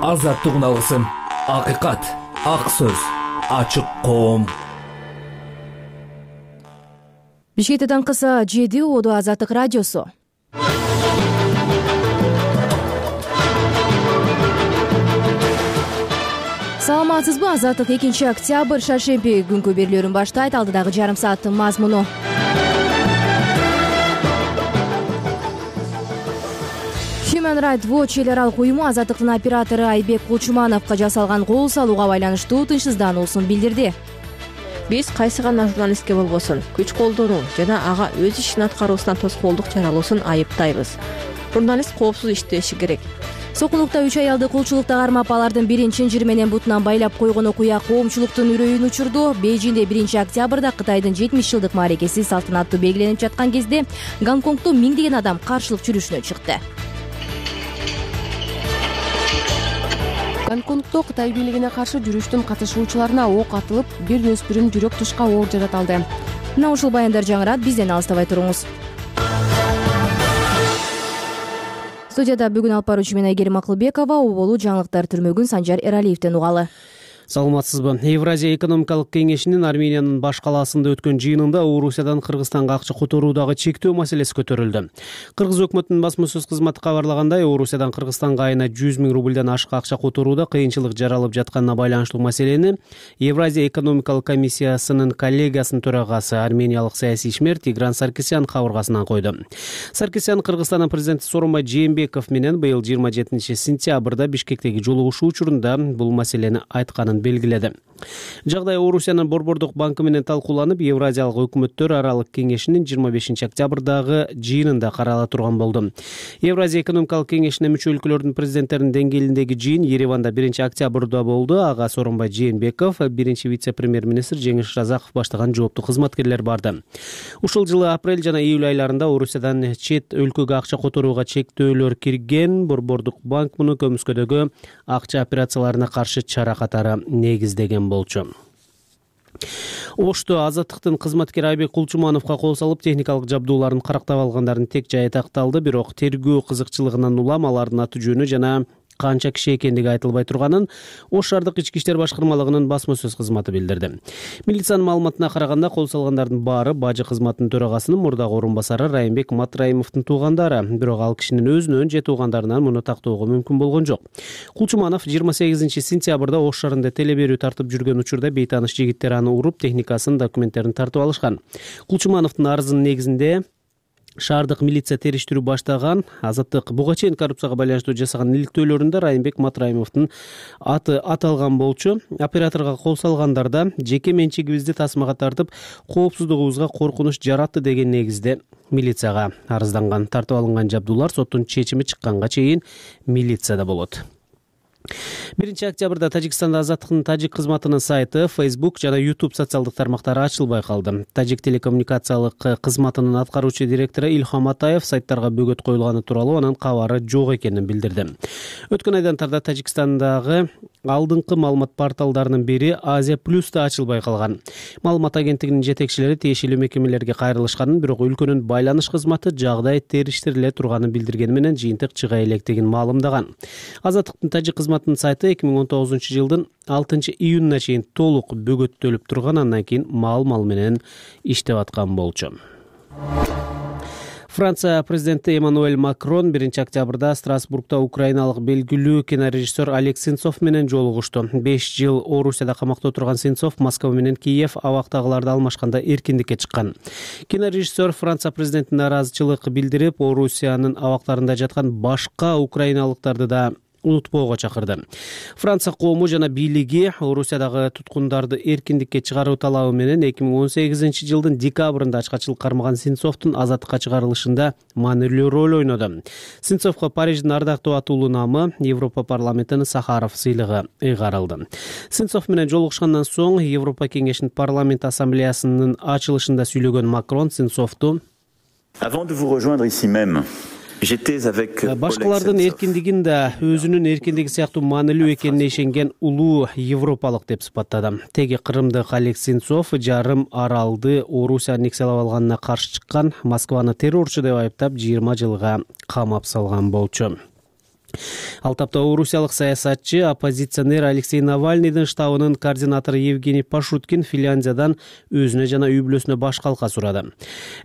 Азаттык алгысым, акыйкат, ак сөз, ачык коом. Бишкекте таңкысы 7 Оодо Азаттык радиосу. Саламатсызбы? Азаттык 2 октябрь шаршемби күнкү берүүлөрүн баштайт. Алдыдагы жарым сааттын мазмуну. Human Rights Watch эл аралык уюму Азаттыктын оператору Айбек Кулчумановго жасалган кол салууга байланыштуу тынчсыздануусун билдирди. Биз кайсы гана журналистке болбосун күч колдонуу жана ага өз ишин аткаруусунан тоскоолдук чаралоосун айыптайбыз. Журналист коопсуз иштеши керек. Сокулукта 3 аялды кулчулукта кармап, алардын бирин чынжыр менен бутунан байлап койгон окуя коомчулуктун үрөйүн учурду. Бейжиңде 1 октябрда Кытайдын 70 жылдык мааракеси салтанаттуу белгиленип жаткан кезде Гонконгдо миңдеген адам каршылык жүрүшүнө чыкты. Гонконгдо Кытай бийлигине каршы жүрүштүн катышуучуларына ок атылып, бир өспүрүм жүрөк тушка оор жарат алды. Мына ушул баяндар жаңырат, бизден алыстабай туруңуз. Студияда бүгүн алып баруучу мен Айгерим Акылбекова, оболу жаңылыктар түрмөгүн Санжар Эралиевден угалы. Саламатсызбы? Евразия экономикалык кеңешинин Армениянын баш калаасында өткөн жыйынында Орусиядан Кыргызстанга акча которуудагы чектөө маселеси көтөрүлдү. Кыргыз өкмөтүнүн басма сөз кызматы кабарлагандай, Орусиядан Кыргызстанга айына 100 000 рубльдан ашык акча которууда кыйынчылык жаралып жатканына байланыштуу маселени Евразия экономикалык комиссиясынын коллегиясынын төрагасы армениялык саясий ишмер Тигран Саркисян кабыргасынан койду. Саркисян Кыргызстандын президенти Сооронбай Жээнбеков менен быйыл 27 сентябрда Бишкектеги жолугушуу учурунда бул маселени айтканын белгиледи. Жагдай Орусиянын Борбордук банкы менен талкууланып, Евразиялык өкмөттөр аралык кеңешинин 25 октябрдагы жыйынында карала турган болду. Евразия экономикалык кеңешине мүчө өлкөлөрдүн президенттеринин деңгээлиндеги жыйын Ереванда 1 октябрда болду. Ага Сооронбай Жээнбеков, биринчи вице-премьер-министр Жеңиш Разаков баштаган жооптуу кызматкерлер барды. Ушул жылы апрель жана июль айларында Орусиядан чет өлкөгө акча которууга чектөөлөр кирген. Борбордук банк муну көмүскөдөгү акча операцияларына каршы чара катары негиздеген болчу. Ошто Азаттыктын кызматкери Айбек Кулчумановго кол салып, техникалык жабдууларын карактап алгандардын тек жайы такталды, бирок тергөө кызыкчылыгынан улам алардын аты жөнү жана канча киши экендиги айтылбай турганын Ош шаардык ички иштер башкармалыгынын басма сөз кызматы билдирди. Милициянын маалыматына караганда, кол салгандардын баары бажы кызматынын төрагасынын мурдагы орун басары Райымбек Матраимовдун туугандары, бирок ал кишинин өзүнөн же туугандарынан муну тактоого мүмкүн болгон жок. Кулчуманов 28 сентябрда Ош шаарында теле берүү тартып жүргөн учурда бейтааныш жигиттер аны уруп, техникасын, документтерин тартып алышкан. Кулчумановдун арызынын негизинде шаардык милиция териштирүү баштаган. Азаттык буга чейин коррупцияга байланыштуу жасаган иликтөөлөрүндө Райымбек Матраимовдун аты аталган болчу. Операторго кол салгандарда жеке менчигибизди тасмага тартып, коопсуздугубузга коркунуч жаратты деген негизде милицияга арызданган. Тартып алынган жабдуулар соттун чечими чыкканга чейин милицияда болот. 1 октябрда Тажикстанда Азаттыктын тажик кызматынын сайты, Facebook жана YouTube социалдык тармактары ачылбай калды. Тажик телекоммуникациялык кызматынын аткаруучу директору Илхам Атаев сайттарга бөгөт коюлганы тууралуу анын кабары жок экенин билдирди. Өткөн айдан тарда Тажикстандагы алдыңкы маалымат порталдарынын бири Азия Плюста ачылбай калган. Маалымат агенттигинин жетекчилери тиешелүү мекемелерге кайрылышканын, бирок өлкөнүн байланыш кызматы жагдай териштириле турганын билдиргени менен жыйынтык чыга электигин маалымдаган. Азаттыктын тажик кызматынын сайты 2019 жылдын 6 июнуна чейин толук бөгөттөлүп турган, андан кийин маал менен иштеп аткан болчу. Франция президенти Эммануэль Макрон 1 октябрда Страсбургда украиналык белгилүү кинорежиссер Олег Сенцов менен жолугушту. 5 жыл Орусияда камакта отурган Сенцов Москва менен Киев абактагыларды алмашканда эркиндикке чыккан. Кинорежиссер Франция президентине ыраазычылык билдирип, Орусиянын абактарында жаткан башка украиналыктарды да унутпоого чакырды. Франция коому жана бийлиги Орусиядагы туткундарды эркиндикке чыгаруу талабы менен 2018 жылдын декабрында ачкачылык кармаган Сенцовдун азаттыкка чыгарылышында маанилүү роль ойноду. Сенцовго Париждин ардактуу атуулуу намы Европа парламентинин Сахаров сыйлыгы ыйгарылды. Сенцов менен жолугушкандан соң Европа кеңешинин парламент ассамблеясынын ачылышында сүйлөгөн Макрон Сенцовду Avant de vous rejoindre ici même, башкалардын эркиндигин да өзүнүн эркиндиги сыяктуу маанилүү экенине ишенген улуу европалык деп сыпаттады. Теги кырымдык Олег Сенцов жарым аралды Орусия аннексиялап алганына каршы чыккан, Москваны террорчу деп айыптап 20 жылга камап салган болчу. Ал тапта орусиялык саясатчы, оппозиционер Алексей Навальныйдын штабынын координатору Евгений Пашуткин Финляндиядан өзүнө жана үй бүлөсүнө баш калка сурады.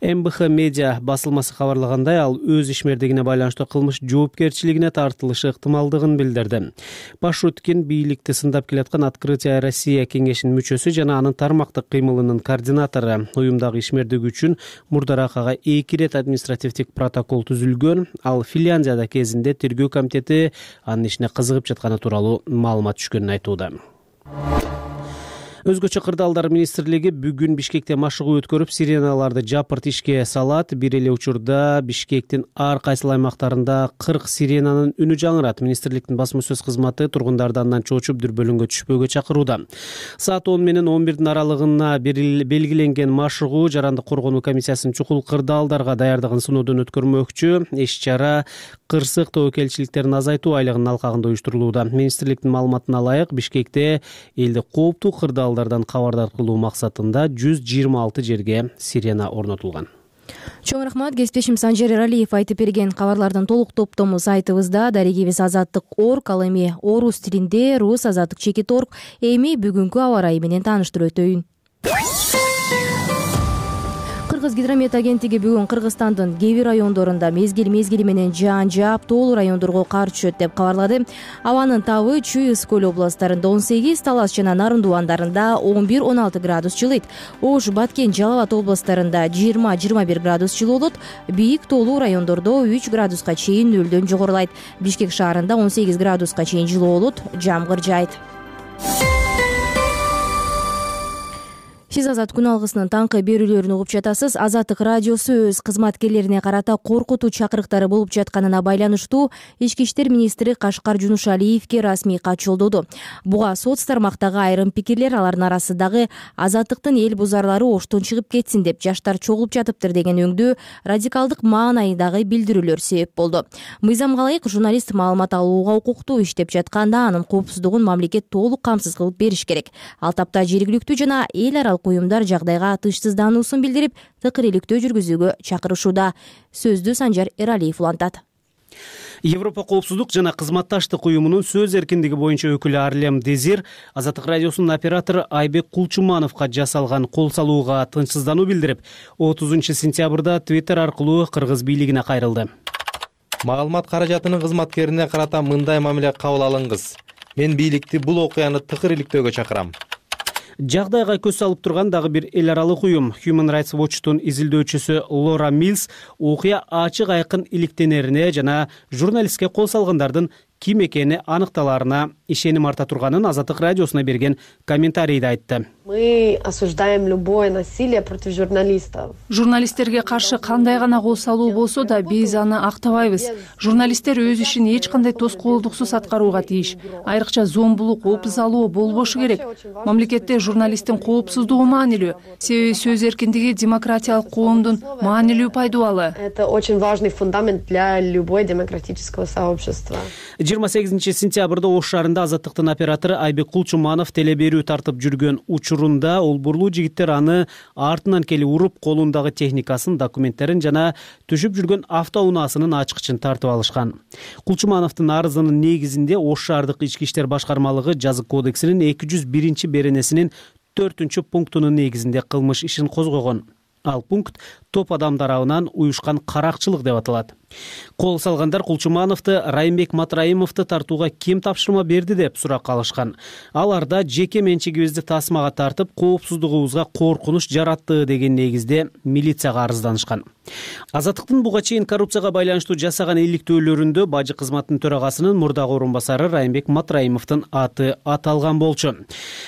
МБХ медиа басылмасы кабарлагандай, ал өз ишмердигине байланыштуу кылмыш жоопкерчилигине тартылышы ыктымалдыгын билдирди. Пашуткин бийликти сындап келаткан Открытие Россия кеңешинин мүчөсү жана анын тармактык кыймылынын координатору. Уюмдагы ишмердиги үчүн мурдараак ага 2 рет административдик протокол түзүлгөн. Ал Финляндияда кезинде тергөө комитети анын ишине кызыгып жатканы тууралуу маалымат түшкөнүн айтууда. Өзгөчө кырдаалдар министрлиги бүгүн Бишкекте машыгуу өткөрүп, сиреналарды жапырт ишке салат. Бир эле учурда Бишкектин ар кайсыл аймактарында 40 сиренанын үнү жаңырат. Министрликтин басма сөз кызматы тургундарды андан чоочуп дүрбөлөңгө түшпөөгө чакырууда. Саат 10 менен 11 аралыгына белгиленген машыгуу Жарандык коргонуу комиссиясынын чукул кырдаалдарга даярдыгын сыноодон өткөрмөкчү. Иш-чара кырсык тобокелчиликтерин азайтуу айлыгынын алкагында уюштурулууда. Министрликтин маалыматына ылайык, Бишкекте элди кооптуу кырдаалдардан кабардар кылуу максатында 126 жерге сирена орнотулган. Чоң рахмат. Кесиптешим Санжер Эралиев айтып берген кабарлардын толук топтому сайтыбызда. Дарегибиз azatlyk.org, ал эми орус тилинде rus.azatlyk.org. Эми бүгүнкү аба ырайы менен тааныштырып өтөйүн. Кыргыз гидромет агенттиги бүгүн Кыргызстандын кээ бир райондорунда мезгили менен жаан жаап, тоолуу райондорго кар түшөт деп кабарлады. Абанын табы Чүй, Ысык-Көл областтарында 18, Талас жана Нарын дубандарында 11-16 градус жылыйт. Ош, Баткен, Жалал Абад областтарында 20-21 градус жылуу болот. Бийик тоолуу райондордо 3 градуска чейин нөлдөн жогорулайт. Бишкек шаарында 18 градуска чейин жылуу болот, жамгыр жаайт. Сиз Азат күн алгысынын таңкы берүүлөрүн угуп жатасыз. Азаттык радиосу өз кызматкерлерине карата коркутуу чакырыктары болуп жатканына байланыштуу Ички иштер министри Кашкар Жунушалиевке расмий кат жолдоду. Буга соц тармактагы айрым пикирлер, алардын арасындагы азаттыктын эл бузарлары оштон чыгып кетсин деп жаштар чогулуп жатыптыр деген өңдүү радикалдык маанайдагы билдирүүлөр себеп болду. Мыйзамга ылайык журналист маалымат алууга укуктуу иштеп жатканда анын коопсуздугун мамлекет толук камсыз кылып бериш керек. Ал тапта жергиликтүү жана эл аралык уюмдар жагдайга тышсыздануусун билдирип, тыкырылыктөө жүргүзүүгө чакырышууда. Сөздү Санжар Эралиев улантат. Европа коопсуздук жана кызматташтык уюмунун сөз эркиндиги боюнча өкүлү Арлем Дезир Азаттык радиосунун оператору Айбек Кулчумановго жасалган кол салууга тынчсыздануу билдирип, 30-сентябрда Twitter аркылуу кыргыз бийлигине кайрылды. Маалымат каражатынын кызматкерине карата мындай мамиле кабыл алыңыз. Мен бийликти бул окуяны тыкырылыктөөгө чакырам. Жагдайга көз салып турган дагы бир эл аралык уюм Human Rights Watch'тун изилдөөчүсү Лора Милс окуя ачык айкын иликтенерине жана журналистке кол салгандардын ким экени аныкталарына ишеним арта турганын Азаттык радиосуна берген комментарийде айтты. Мы осуждаем любое насилие против журналистов. Журналисттерге каршы кандай гана кол салуу болсо да биз аны актабайбыз. Журналисттер өз ишин эч кандай тоскоолдуксуз аткарууга тийиш. Айрыкча зомбулук, опуз алуу болбошу керек. Мамлекетте журналисттин коопсуздугу маанилүү. Себеби сөз эркиндиги демократиялык коомдун маанилүү пайдубалы. Это очень важный фундамент для любой демократического сообщества. 28-сентябрда Ош шаарында Азаттыктын оператору Айбек Кулчуманов телеберүү тартып жүргөн учурунда олбурлуу жигиттер аны артынан келип уруп, колундагы техникасын, документтерин жана түшүп жүргөн автоунаасынын ачкычын тартып алышкан. Кулчумановдун арызынын негизинде Ош шаардык ички иштер башкармалыгы жазык кодексинин 201-беренесинин 4-пунктунун негизинде кылмыш ишин козгогон. Ал пункт топ адам тарабынан уюшкан каракчылык деп аталат. Кол салгандар Кулчумановду, Райымбек Матраимовду тартууга ким тапшырма берди деп суракка алышкан. Аларда жеке менчигибизди тасмага тартып, коопсуздугубузга коркунуч жаратты деген негизде милицияга арызданышкан. Азаттыктын буга чейин коррупцияга байланыштуу жасаган иликтөөлөрүндө бажы кызматынын төрагасынын мурдагы орунбасары Райымбек Матраимовдун аты аталган болчу.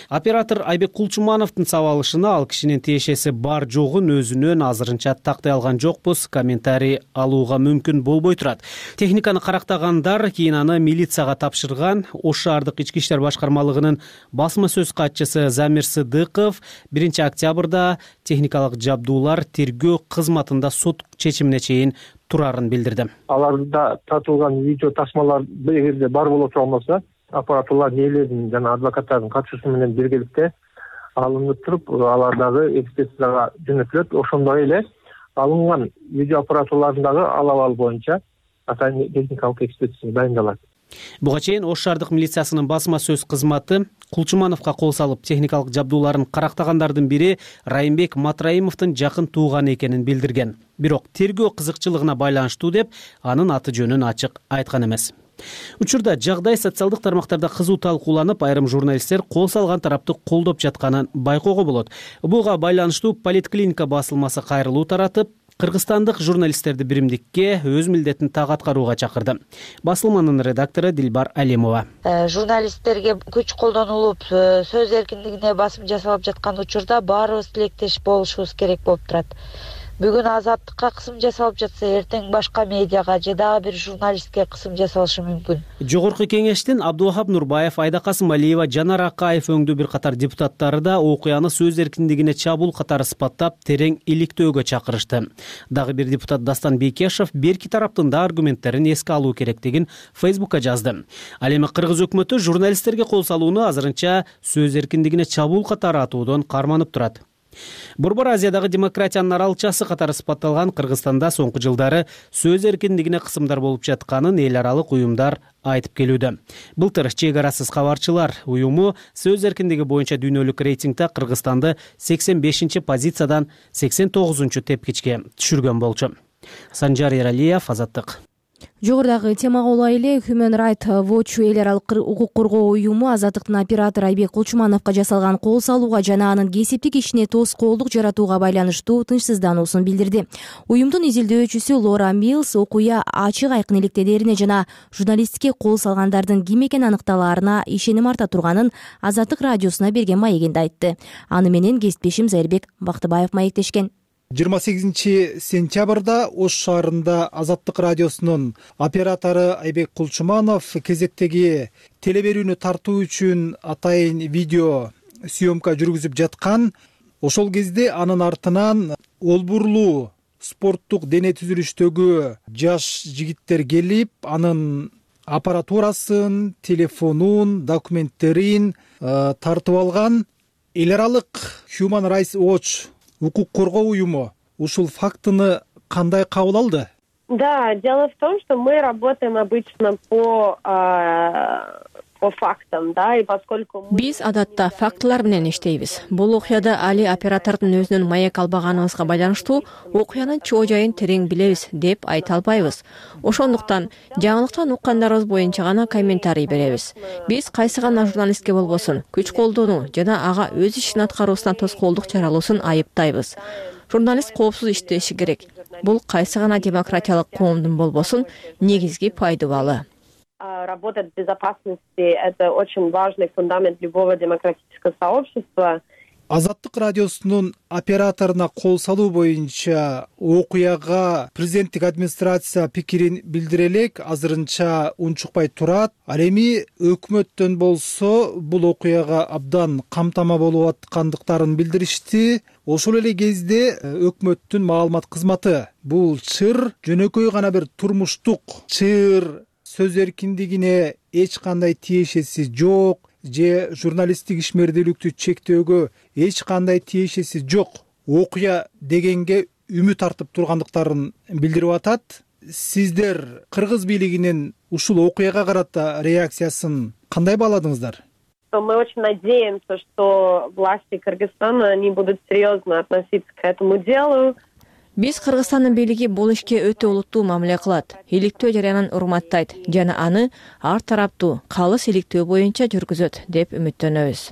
Оператор Айбек Кулчумановдун сабалышына ал кишинин тиешеси бар жогун өзүнөн азырынча тактай алган жокпуз, комментарий алууга мүмкүн болбой турат. Техниканы карактагандар кийин аны милицияга тапшырган. Ош шаардык ички иштер башкармалыгынын басма сөз катчысы Замир Сыдыков 1-октябрда техникалык жабдуулар тергөө кызматында сот чечимине чейин турарын билдирди. Аларда тартылган видео тасмалар эгерде бар боло турган болсо, аппаратурлар ээлердин жана адвокаттардын катышуусу менен биргеликте алынып туруп, алардагы экспертизага жөнөтүлөт. Ошондой эле алынган видео аппаратурларындагы алабал боюнча атайын техникалык экспертиза дайындалат. Буга чейин Ош шаардык милициясынын басма сөз кызматы Кулчумановго кол салып техникалык жабдууларын карактагандардын бири Райымбек Матраимовдун жакын тууганы экенин билдирген. Бирок тергөө кызыкчылыгына байланыштуу деп анын аты жөнүн ачык айткан эмес. Учурда жагдай социалдык тармактарда кызуу талкууланып, айрым журналисттер кол салган тарапты колдоп жатканын байкоого болот. Буга байланыштуу Политклиника басылмасы кайрылуу таратып, кыргызстандык журналисттерди биримдикке өз милдетин так аткарууга чакырды. Басылманын редактору Дилбар Алимова. Журналисттерге күч колдонулуп, сөз эркиндигине басым жасалып жаткан учурда баарыбыз тилектеш болушубуз керек болуп турат. Бүгүн Азаттыкка кысым жасалып жатса, эртең башка медиага же дагы бир журналистке кысым жасалышы мүмкүн. Жогорку кеңештин Абдулвахап Нурбаев, Айда Касымалиева, Жанар Акаев өңдүү бир катар депутаттары да окуяны сөз эркиндигине чабуул катары сыпаттап, терең иликтөөгө чакырышты. Дагы бир депутат Дастан Бейкешев берки тараптын да аргументтерин эске алуу керектигин Фейсбукка жазды. Ал эми Кыргыз өкмөтү журналисттерге кол салууну азырынча сөз эркиндигине чабуул катары атуудон карманып турат. Борбор Азиядагы демократиянын аралчасы катары сыпатталган Кыргызстанда соңку жылдары сөз эркиндигине кысымдар болуп жатканын эл аралык уюмдар айтып келүүдө. Былтыр Чек арасыз кабарчылар уюму сөз эркиндиги боюнча дүйнөлүк рейтингде Кыргызстанды 85 позициядан 89 тепкичке түшүргөн болчу. Санжар Эралиев, Азаттык. Жогорудагы темага улай эле Human Rights Watch эл аралык укук коргоо уюму Азаттыктын оператору Айбек Кулчумановго жасалган кол салууга жана анын кесиптик ишине тоскоолдук жаратууга байланыштуу тынчсыздануусун билдирди. Уюмдун изилдөөчүсү Лора Милс окуя ачык айкын иликтелерине жана журналистикке кол салгандардын ким экени аныкталаарына ишеним арта турганын Азаттык радиосуна берген маегинде айтты. Аны менен кесиптешим Зайырбек Бактыбаев маектешкен. 28 сентябрда Ош шаарында Азаттык радиосунун оператору Айбек Кулчуманов кезектеги теле берүүнү тартуу үчүн атайын видео съемка жүргүзүп жаткан. Ошол кезде анын артынан олбурлуу спорттук дене түзүлүштөгү жаш жигиттер келип, анын аппаратурасын, телефонун, документтерин тартып алган. Эл аралык Human Rights Watch укук коргоо уюму ушул фактыны кандай кабыл алды? Да, дело в том, что мы работаем обычно по фактам, да, и поскольку биз адатта фактылар менен иштейбиз. Бул окуяда али оператордун өзүнүн маек албаганыбызга байланыштуу окуянын чоо жайын терең билебиз деп айта албайбыз. Ошондуктан жаңылыктан уккандарыбыз боюнча гана комментарий беребиз. Биз кайсы гана журналистке болбосун күч колдонуу жана ага өз ишин аткаруусунан тоскоолдук чаралоосун айыптайбыз. Журналист коопсуз иштеши керек. Бул кайсы гана демократиялык коомдун болбосун негизги пайдубалы. Работа в безопасности – это очень важный фундамент любого демократического сообщества. Азаттык радиосунун операторуна кол салуу боюнча окуяга президенттик администрация пикирин билдире элек, азырынча унчукпай турат. Ал эми өкмөттөн болсо бул окуяга абдан камтама болуп аткандыктарын билдиришти. Ошол эле кезде өкмөттүн маалымат кызматы бул чыр жөнөкөй гана бир турмуштук чыр, сөз эркиндигине эч кандай тиешеси жок же журналисттик ишмердүүлүктү чектөөгө эч кандай тиешеси жок окуя дегенге үмүт артып тургандыктарын билдирип атат. Сиздер кыргыз бийлигинин ушул окуяга карата реакциясын кандай бааладыңыздар? Мы очень надеемся, что власти Кыргызстана не будут серьезно относиться к этому делу. Биз Кыргызстандын бийлиги бул ишке өтө олуттуу мамиле кылат, иликтөө жарыянын урматтайт жана аны ар тараптуу калыс иликтөө боюнча жүргүзөт деп үмүттөнөбүз.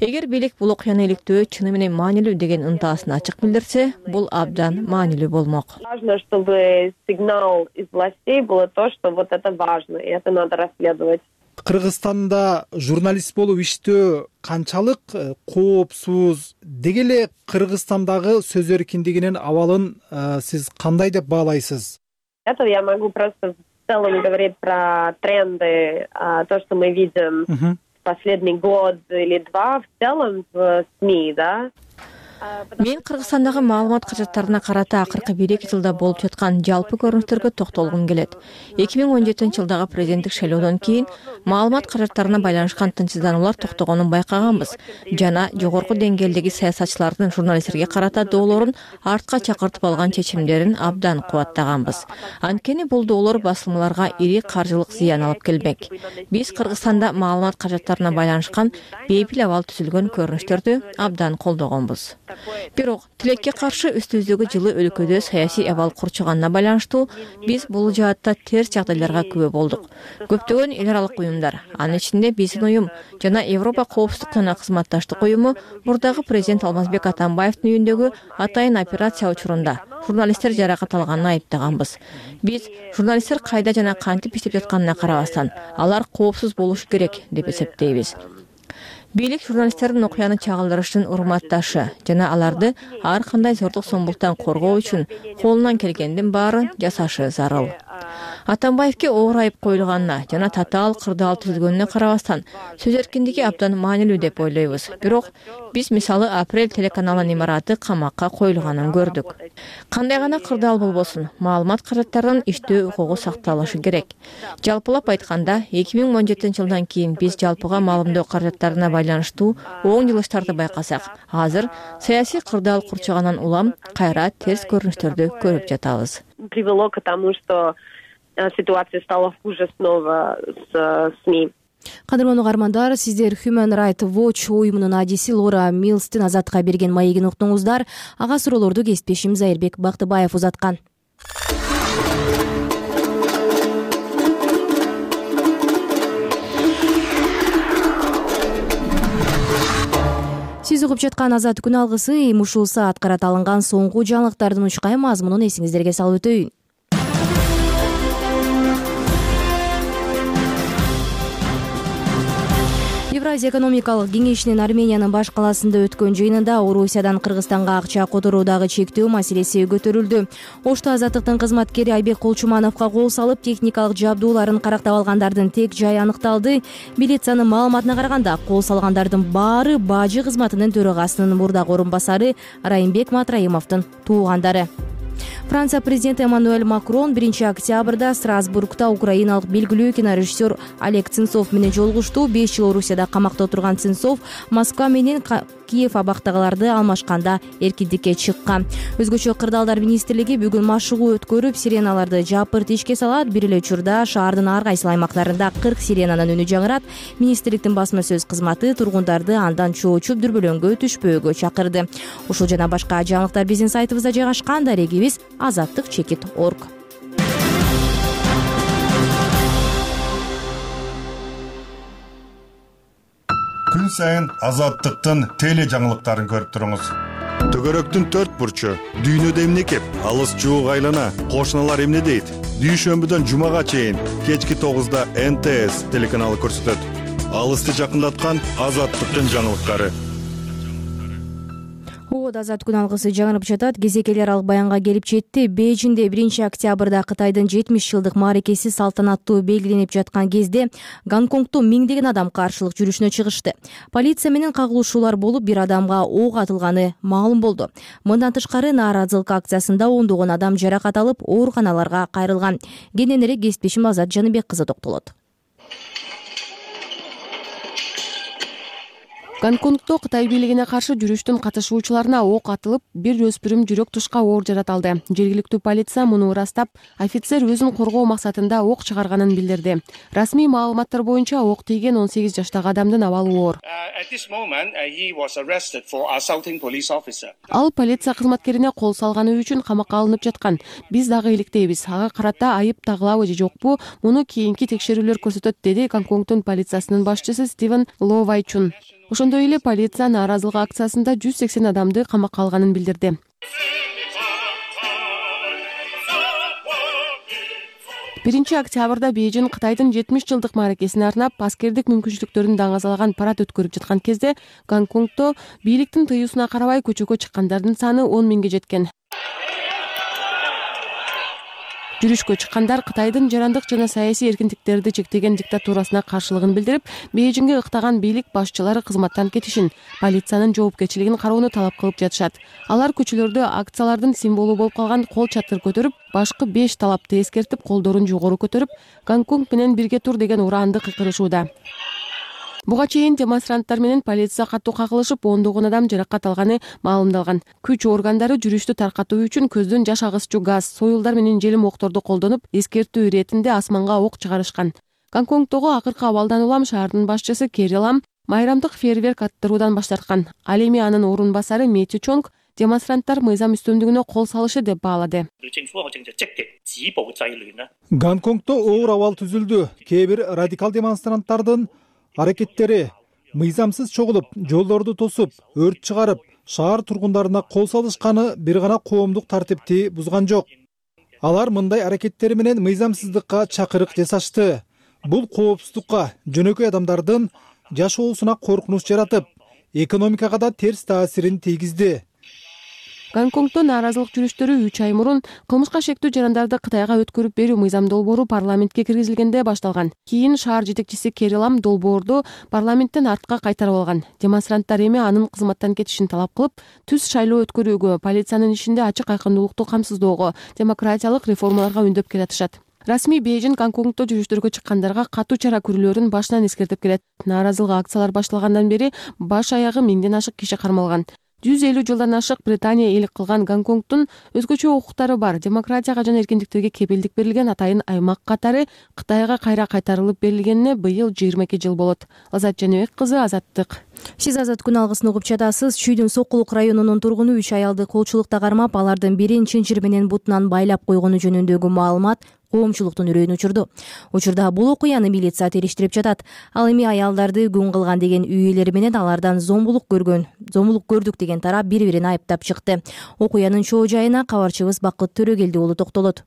Эгер бийлик бул окуяны иликтөө чыны менен маанилүү деген ынтаасын ачык билдирсе, бул абдан маанилүү болмок. Важно, чтобы сигнал из властей было то, что вот это важно, и это надо расследовать. Кыргызстанда журналист болуп иштөө канчалык коопсуз? Деги эле Кыргызстандагы сөз эркиндигинин абалын сиз кандай деп баалайсыз? Это я могу просто в целом говорить про тренды, то, что мы видим последний год или два в целом в СМИ, да? Мен Кыргызстандагы маалымат каражаттарына карата акыркы 1-2 жылда болуп жаткан жалпы көрүнүштөргө токтолгум келет. 2017-жылдагы президенттик шайлоодон кийин маалымат каражаттарына байланышкан тынчсыздануулар токтогонун байкаганбыз жана жогорку деңгээлдеги саясатчылардын журналисттерге карата доолорун артка чакыртып алган чечимдерин абдан кубаттаганбыз. Анткени бул доолор басылмаларга ири каржылык зыян алып келмек. Биз Кыргызстанда маалымат каражаттарына байланышкан бейпил абал түзүлгөн көрүнүштөрдү абдан колдогонбуз. Бирок тилекке каршы үстүбүздөгү жылы өлкөдө саясий абал курчуганына байланыштуу биз бул жаатта терс жагдайларга күбө болдук. Көптөгөн эл аралык уюмдар, анын ичинде биздин уюм жана Европа коопсуздук жана кызматташтык уюму мурдагы президент Алмазбек Атамбаевдин үйүндөгү атайын операция учурунда журналисттер жаракат алганын айыптаганбыз. Биз журналисттер кайда жана кантип иштеп жатканына карабастан алар коопсуз болушу керек деп эсептейбиз. Бийлик журналисттердин окуяны чагылдырыштын урматташы жана аларды ар кандай зордук зомбулуктан коргоо үчүн колунан келгендин баарын жасашы зарыл. Атамбаевге оор айып коюлганына жана татаал кырдаал түзүлгөнүнө карабастан сөз эркиндиги абдан маанилүү деп ойлойбуз. Бирок биз мисалы Апрель телеканалынын имараты камакка коюлганын көрдүк. Кандай гана кырдаал болбосун, маалымат каражаттарынын иштөө укугу сакталышы керек. Жалпылап айтканда, 2017-жылдан кийин биз жалпыга маалымдоо каражаттарына байланыштуу оң жылыштарды байкасак, азыр саясий кырдаал курчугандан улам кайра терс көрүнүштөрдү көрүп жатабыз. Привело к тому, что ситуация стала хуже снова с СМИ. Кадырман угармандар, сиздер Human Rights Watch уюмунун адиси Лора Милстин Азаттыкка берген маегин уктуңуздар. Ага суроолорду кесиптешим Зайырбек Бактыбаев узаткан. Сиз угуп жаткан Азат күн алгысы ушул саат карата алынган соңку жаңылыктардын учкай мазмунун эсиңиздерге салып өтөйүн. Евразия экономикалык кеңешинин Армениянын баш каласында өткөн жыйынында Орусиядан Кыргызстанга акча которуудагы чектөө маселеси көтөрүлдү. Ошто Азаттыктын кызматкери Айбек Колчумановго кол салып, техникалык жабдууларын карактап алгандардын тек жайы аныкталды. Милициянын маалыматына караганда, кол салгандардын баары бажы кызматынын төрагасынын мурдагы орун басары Райымбек Матраимовдун туугандары. Франция президенти Эммануэль Макрон 1-октябрда Страсбургда украиналык белгилүү кинорежиссер Олег Цинцов менен жолугушту. 5 жыл Орусияда камакта отурган Цинцов Москва менен Киев абактагыларды алмашканда эркиндикке чыккан. Өзгөчө кырдаалдар министрлиги бүгүн машыгуу өткөрүп, сиреналарды жапырт ишке салат. Бир эле учурда шаардын ар кайсы аймактарында 40 сиренанын үнү жаңырат. Министрликтин басма сөз кызматы тургундарды андан чоочуп дүрбөлөңгө түшпөөгө чакырды. Ушул жана башка жаңылыктар биздин сайтыбызда жайгашкан. Дарегибиз azattik.org. Күн сайын Азаттыктын теле жаңылыктарын көрүп туруңуз. Төгөрөктүн 4 бурчу, дүйнөдө эмне кеп, алыс жуук айлана, кошуналар эмне дейт? Дүйшөмбүдөн жумага чейин кечки 9-да НТС телеканалы көрсөтөт. Алысты жакындаткан Азаттыктын жаңылыктары. Азат күн алгысы жаңырып жатат. Кезекелер алып баянга келип жетти. Бейжинде 1-октябрда Кытайдын 70 жылдык мааракеси салтанаттуу белгиленип жаткан кезде Гонконгдо миңдеген адам каршылык жүрүшүнө чыгышты. Полиция менен кагылышуулар болуп, бир адамга ок атылганы маалым болду. Мындан тышкары нааразылык акциясында ондогон адам жаракат алып, ооруканаларга кайрылган. Кененирээк кесиптешим Азат Жаныбек кызы токтолот. Гонконгдо Кытай бийлигине каршы жүрүштүн катышуучуларына ок атылып, бир өспүрүм жүрөк тушка оор жараталды. Жергиликтүү полиция муну ырастап, офицер өзүн коргоо максатында ок чыгарганын билдирди. Расмий маалыматтар боюнча ок тийген 18 жаштагы адамдын абалы оор. Ал полиция кызматкерине кол салганы үчүн камакка алынып жаткан. Биз дагы иликтейбиз. Ага карата айып тагылабы же жокпу, муну кийинки текшерүүлөр көрсөтөт, деди Гонконгдун полициясынын башчысы Стивен Ло Вайчун. Ошондой эле полиция нааразылык акциясында 180 адамды камакка алганын билдирди. 1-октябрда Бейжин Кытайдын 70 жылдык мааракесине арнап аскердик мүмкүнчүлүктөрүн даңазалаган парад өткөрүп жаткан кезде Гонконгдо бийликтин тыюусуна карабай көчөгө чыккандардын саны 10 миңге жеткен. Жүрүшкө чыккандар Кытайдын жарандык жана саясий эркиндиктерди чектеген диктатурасына каршылыгын билдирип, Бейжиңге ыктаган бийлик башчылары кызматтан кетишин, полициянын жоопкерчилигин кароону талап кылып жатышат. Алар көчөлөрдө акциялардын символу болуп калган кол чатыр көтөрүп, башкы 5 талапты эскертип, колдорун жогору көтөрүп, Гонконг менен бирге тур деген ураанды кыйкырышууда. Буга чейин демонстранттар менен полиция катуу какылышып, ондогон адам жаракат алганы маалымдалган. Күч органдары жүрүштү таркатуу үчүн көздөн жаш агызчу газ, союлдар менен желим окторду колдонуп, эскертүү иретинде асманга ок чыгарышкан. Гонконгдогу акыркы абалдан улам шаардын башчысы Керри Лам майрамдык фейерверк аттыруудан баш тарткан. Ал эми анын орун басары Мети Чонг демонстранттар мыйзам үстөмдүгүнө кол салышы деп баалады. Гонконгдо оор абал түзүлдү. Кээ бир радикал демонстранттардын аракеттери мыйзамсыз чогулуп, жолдорду тосуп, өрт чыгарып, шаар тургундарына кол салышканы бир гана коомдук тартипти бузган жок. Алар мындай аракеттери менен мыйзамсыздыкка чакырык жасашты. Бул коопсуздукка, жөнөкөй адамдардын жашоосуна коркунуч жаратып, экономикага да терс таасирин тийгизди. Гонконгдо нааразылык жүрүштөрү 3 ай мурун кылмышка шектүү жарандарды Кытайга өткөрүп берүү мыйзам долбоору парламентке киргизилгенде башталган. Кийин шаар жетекчиси Керри Лам долбоорду парламенттен артка кайтарып алган. Демонстранттар эми анын кызматтан кетишин талап кылып, түз шайлоо өткөрүүгө, полициянын ишинде ачык айкындуулукту камсыздоого, демократиялык реформаларга үндөп келатышат. Расмий Бейжиң Гонконгдо жүрүштөргө чыккандарга катуу чара көрүлөрүн башынан эскертип келет. Нааразылык акциялар башталгандан бери баш аягы 1000ден ашык киши кармалган. 150 жылдан ашык Британия элик кылган Гонконгдун өзгөчө укуктары бар, демократияга жана эркиндиктерге кепилдик берилген атайын аймак катары Кытайга кайра кайтарылып берилгенине быйыл 22 жыл болот. Азат Жаныбек кызы, Азаттык. Сиз Азат күн алгысын угуп жатасыз. Чүйдүн Сокулук районунун тургуну 3 аялды колчулукта кармап, алардын бирин чынжыр менен бутунан байлап койгону жөнүндөгү маалымат коомчулуктун үрөйүн учурду. Учурда бул окуяны милиция териштирип жатат. Ал эми аялдарды күн кылган деген үй ээлери менен алардан зомбулук көрдүк деген тарап бири-бирин айыптап чыкты. Окуянын чоо жайына кабарчыбыз Бакыт Төрөгелди уулу токтолот.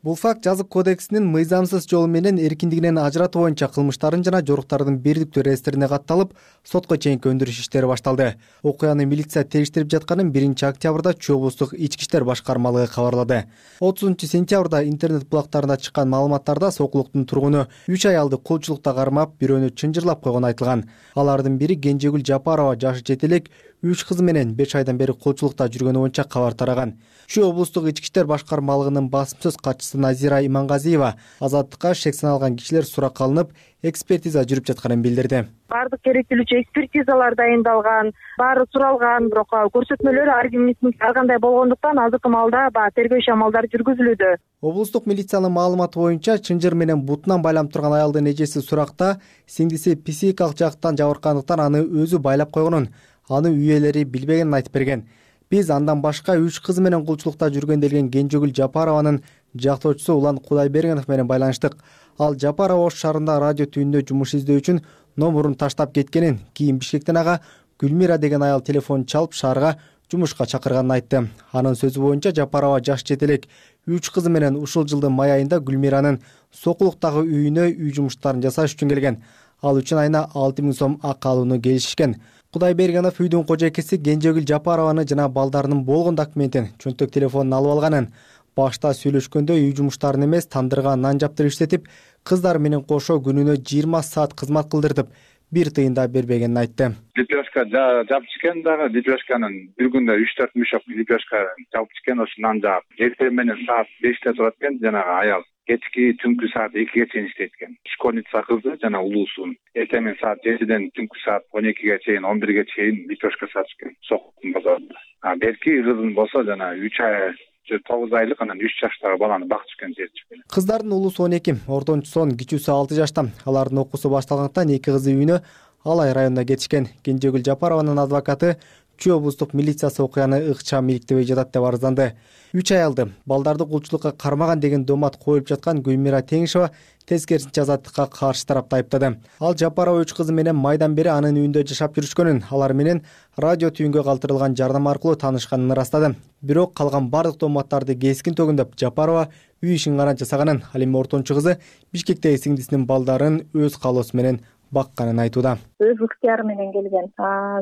Бул факт жазык кодексинин мыйзамсыз жол менен эркиндигинен ажыратуу боюнча кылмыштардын жана жоруктардын бирдиктүү реестерине катталып, сотко чейинки өндүрүш иштери башталды. Окуяны милиция териштирип жатканын 1-октябрда Чүй облустук ички иштер башкармалыгы кабарлады. 30-сентябрда интернет булактарында чыккан маалыматтарда Сокулуктун тургуну 3 аялды колчулукта кармап, бирөөнү чынжырлап койгону айтылган. Алардын бири Кенжегүл Жапарова, жашы жете элек, 3 кызы менен 5 айдан бери колчулукта жүргөнү боюнча кабар тараган. Чүй облустук ички иштер башкармалыгынын басым сөз катчысы Назира Имангазиева азаттыкка шек саналган кишилер суракка алынып, экспертиза жүрүп жатканын билдирди. Бардык керектелүүчү экспертизалар дайындалган, баары суралган, бирок көрсөтмөлөр ар кимдин ар кандай болгондуктан азыркы маалда тергөө иш амалдары жүргүзүлүүдө. Облустук милициянын маалыматы боюнча чынжыр менен бутунан байланып турган аялдын эжеси суракта сиңдиси психикалык жактан жабыркандыктан аны өзү байлап койгонун, аны үй ээлери билбегенин айтып берген. Биз андан башка 3 кызы менен колчулукта жүргөн делген Кенжегүл Жапарованын жактоочусу Улан Кудайбергенов менен байланыштык. Ал Жапарова Ош шаарында радио түйүндө жумуш издөө үчүн номурун таштап кеткенин, кийин Бишкектен ага Гүлмира деген аял телефон чалып шаарга жумушка чакырганын айтты. Анын сөзү боюнча Жапарова жаш жете элек 3 кызы менен ушул жылдын май айында Гүлмиранын Сокулуктагы үйүнө үй жумуштарын жасаш үчүн келген. Ал үчүн айына 6000 сом акы алууну келишишкен. Кудайбергенов үйдүн кожойкеси Кенжегүл Жапарованы жана балдарынын болгон документин, чөнтөк телефонун алып алганын, башта сүйлөшкөндө үй жумуштарын эмес, тандырга нан жаптырып иштетип, кыздар менен кошо күнүнө 20 саат кызмат кылдыртып, бир тыйын да бербегенин айтты. Лепешка жапчыкен дагы, лепешканын бир күндө 3-4 мешок лепешка жапчыкен, ошо нан жаап, эртең менен саат 5те турат экен жанагы аял. Кечки түнкү саат 2ге чейин иштейт экен. Школьница кызы жана улуусун эртең менен саат 7ден түнкү саат 12ге чейин, 11ге чейин лепешка сатып экен Сокулуктун базарында. Берки кызын болсо жана 3 ай 9 айлык, анан 3 жаштагы баланы бакчы экен жертип. Кыздардын улуусу 12, ортончусунун кичүүсү 6 жашта. Алардын окуусу башталгандыктан 2 кызы үйүнө Алай районуна кетишкен. Кенжегүл Жапарованын адвокаты Чүй облустук милициясы окуяны ыкчам иликтебей жатат деп арызданды. 3 аялды балдарды кулчулукка кармаган деген домат коюлуп жаткан Гүлмира Теңишева тескерисинче азаттыкка каршы тарапты айыптады. Ал Жапарова 3 кызы менен майдан бери анын үйүндө жашап жүрүшкөнүн, алар менен радио түйүнгө калтырылган жардам аркылуу таанышканын ырастады. Бирок калган бардык доматтарды кескин төгүндөп Жапарова үй ишин гана жасаганын, ал эми ортончу кызы Бишкектеги сиңдисинин балдарын өз каалоосу менен бакканын айтууда. Өз ыктыяры менен келген.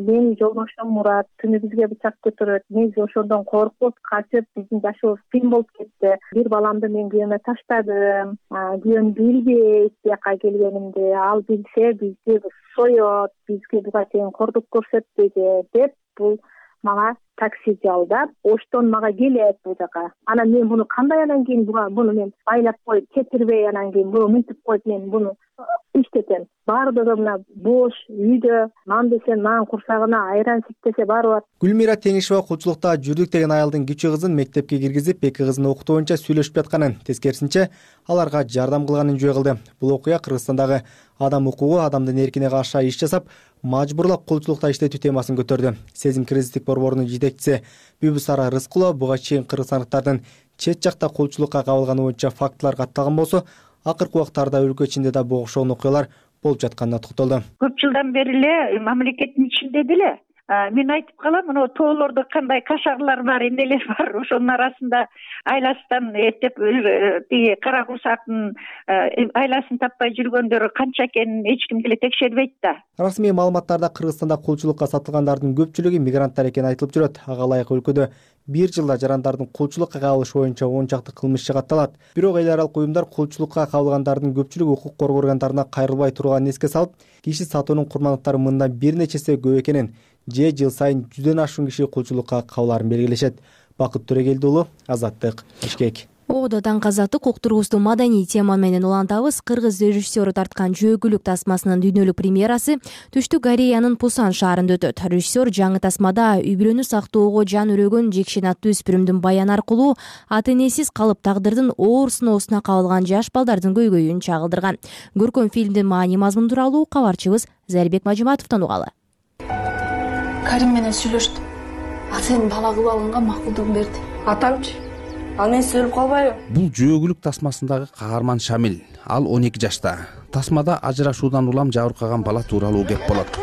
Менин жолдошум Мурат түнү бизге бычак көтөрөт. Негизи ошондон коркуп качып биздин жашообуз кыйын болуп кетти. Бир баламды мен күйөөмө таштадым. Күйөөм билбейт бияка келгенимди. Ал билсе бизди соет, бизге буга чейин кордук көрсөтпөйдү деп бул мага такси жалдап, оштон мага келет бул жака. Анан мен муну кандай анан кийин муну мен байлап коюп кетирбей анан кийин муну мынтип коюп мен муну иштетем. Баардыгы мына бош үйдө нан десем нан курсагына, айран сиктесе баары бар. Гүлмира Теңишева кулчулукта жүрдүк деген аялдын кичүү кызын мектепке киргизип, эки кызын окутуу боюнча сүйлөшүп жатканын, тескерисинче аларга жардам кылганын жөө кылды. Бул окуя Кыргызстандагы адам укугу, адамдын эркине каршы иш жасап, мажбурлап кулчулукта иштетүү темасын көтөрдү. Сезим кризистик борборунун жетекчиси Бүбүсара Рыскулова буга чейин кыргызстандыктардын чет жакта кулчулукка кабылганы боюнча фактылар катталган болсо, акыркы убактарда өлкө ичинде да буга окшогон окуялар болуп жатканына токтолду. Көп жылдан бери эле мамлекеттин ичинде деле мен айтып калам, мына тоолордо кандай кашарлар бар, эмнелер бар, ошонун арасында айласынан эптеп тиги кара курсактын айласын таппай жүргөндөр канча экенин эч ким деле текшербейт да. Расмий маалыматтарда Кыргызстанда кулчулукка сатылгандардын көпчүлүгү мигранттар экени айтылып жүрөт. Ага ылайык өлкөдө бир жылда жарандардын кулчулукка кабылышы боюнча 10 чакты кылмыш катталат. Бирок эл аралык уюмдар кулчулукка кабылгандардын көпчүлүгү укук коргоо органдарына кайрылбай турганын эске салып, киши сатуунун курмандыктары мындан бир нечесе көп экенин, жыл сайын 100дөн ашуун киши кулчулукка кабылаарын белгилешет. Бакыт Төрегелди уулу, Азаттык, Бишкек. Оодо даңк азаттык уктурубузду маданий тема менен улантабыз. Кыргыз режиссеру тарткан Жөөгүлүк тасмасынын дүйнөлүк премьерасы Түштүк Кореянын Пусан шаарында өтөт. Режиссер жаңы тасмада үй бүлөнү сактоого жан өрөгөн Жекшен аттуу өспүрүмдүн баяны аркылуу ата энесиз калып тагдырдын оор сыноосуна кабылган жаш балдардын көйгөйүн чагылдырган. Көркөм фильмдин маани мазмуну тууралуу кабарчыбыз Зарбек Мажыматовдон угалы. Карим менен сүйлөштүм. Сенин бала кылып алганга макулдугун берди. Атамчы? Ал мен өлүп калбайбы? Бул Жөөгүлүк тасмасындагы каарман Шамил. Ал 12 жашта. Тасмада ажырашуудан улам жабыркаган бала тууралуу кеп болот.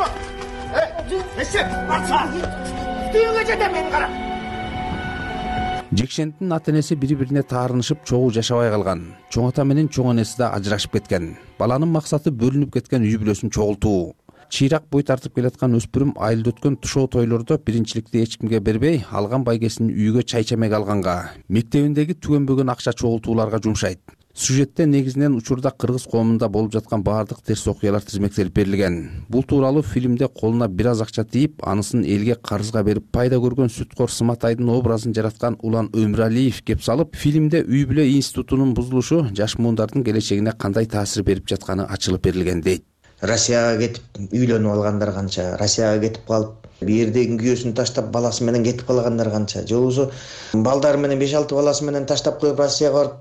Жекшендин ата энеси бири-бирине таарынышып чогуу жашабай калган. Чоң ата менен чоң энеси да ажырашып кеткен. Баланын максаты бөлүнүп кеткен үй бүлөсүн чогултуу. Чыйрак бой тартып келаткан өспүрүм айылда өткөн тушоо тойлордо биринчиликти эч кимге бербей, алган байгесин үйгө чай чемек алганга, мектебиндеги түгөнбөгөн акча чогултууларга жумшайт. Сюжетте негизинен учурда кыргыз коомунда болуп жаткан баардык терс окуялар тизмектелип берилген. Бул тууралуу фильмде колуна бир аз акча тийип, анысын элге карызга берип пайда көргөн сүткор Сыматайдын образын жараткан Улан Өмүралиев кеп салып, фильмде үй бүлө институтунун бузулушу жаш муундардын келечегине кандай таасир берип жатканы ачылып берилген дейт. Россияга кетип үйлөнүп алгандар канча, Россияга кетип калып, бирдеги күйөөсүн таштап баласы менен кетип калгандар канча, же болбосо балдары менен 5-6 баласы менен таштап коюп Россияга барып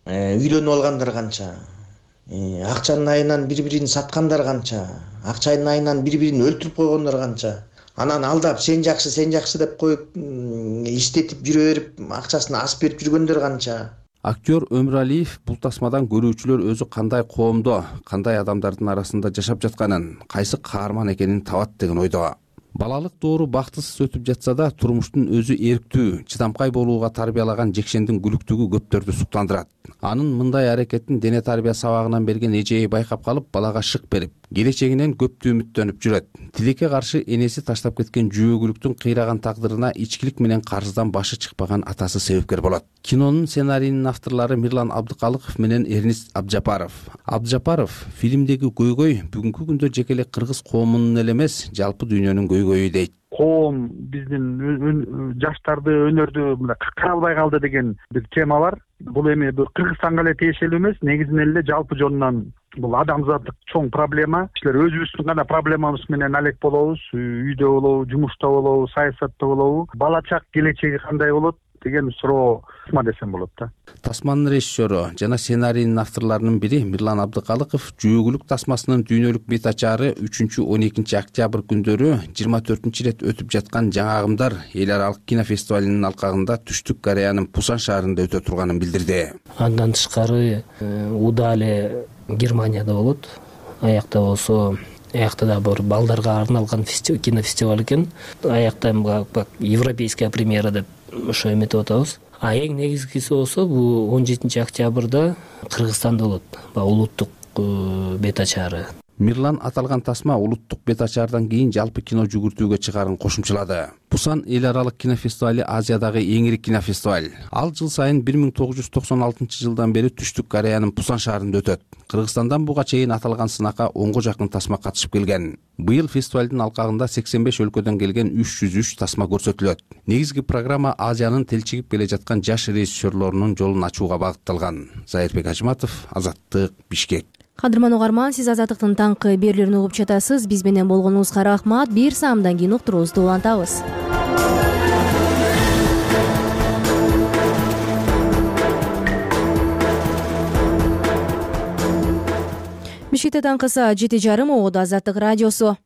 үйлөнүп алгандар канча. Акчанын айынан бири-бирин саткандар канча, акчанын айынан бири-бирин өлтүрүп койгондар канча. Анан алдап сен жакшы деп коюп иштетип жүрө берип, акчасын асып берип жүргөндөр канча. Актер Өмүралиев бул тасмадан көрүүчүлөр өзү кандай коомдо, кандай адамдардын арасында жашап жатканын, кайсы каарман экенин табат деген ойдо. Балалык доору бактысыз өтүп жатса да, турмуштун өзү эрктүү, чыдамкай болууга тарбиялаган Жекшендин күлүктүгү көптөрдү суктандырат. Анын мындай аракетин дене тарбия сабагынан берген эжеи байкап калып, балага шык берип, келечегинен көптү үмүттөнүп жүрөт. Тилекке каршы энеси таштап кеткен Жөөгүлүктүн кыйраган тагдырына ичкилик менен карыздан башы чыкпаган атасы себепкер болот. Кинонун сценарийинин авторлору Мирлан Абдыкалыков менен Эрнист Абджапаров. Абджапаров фильмдеги көйгөй бүгүнкү күндө жеке эле кыргыз коомунун эле эмес, жалпы дүйнөнүн көйгөйү дейт. Коом биздин жаштарды өнөрдү мындай каралбай калды деген бир тема бар. Бул эми Кыргызстанга эле тиешелүү эмес, негизинен эле жалпы жонунан бул адамзаттык чоң проблема. Силер өзүбүздүн гана проблемабыз менен алек болобуз, үйдө болобу, жумушта болобу, саясатта болобу, бала чак келечеги кандай болот деген суроо десем болот да. Тасманын режиссеру жана сценарийинин авторлорунун бири Мирлан Абдыкалыков Жөөгүлүк тасмасынын дүйнөлүк бет ачаары 3-12 октябрь күндөрү 24 рет өтүп жаткан жаңы агымдар эл аралык кинофестивалынын алкагында Түштүк Кореянын Пусан шаарында өтө турганын билдирди. Андан тышкары Удале Германияда болот. Аякта болсо аякта да бир балдарга арналган кинофестиваль экен. Аякта европейская премьера деп ошо эметип атабыз. Эң негизгиси болсо бул 17 октябрда Кыргызстанда болот. Улуттук бет ачаары. Мирлан аталган тасма улуттук бет ачаардан кийин жалпы кино жүгүртүүгө чыгаарын кошумчалады. Пусан эл аралык кинофестивали Азиядагы эң ири кинофестиваль. Ал жыл сайын 1996-жылдан бери Түштүк Кореянын Пусан шаарында өтөт. Кыргызстандан буга чейин аталган сынакка 10го жакын тасма катышып келген. Быйыл фестивалдын алкагында 85 өлкөдөн келген 303 тасма көрсөтүлөт. Негизги программа Азиянын телчигип келе жаткан жаш режиссерлорунун жолун ачууга багытталган. Зайырбек Ажыматов, Азаттык, Бишкек. Кадырман угарман, сиз Азаттыктын таңкы берүүлөрүн угуп жатасыз. Биз менен болгонуңузга рахмат. Бир саамдан кийин уктуруубузду улантабыз. Бишкекте таңкы саат 7:30 угууда Азаттык радиосу.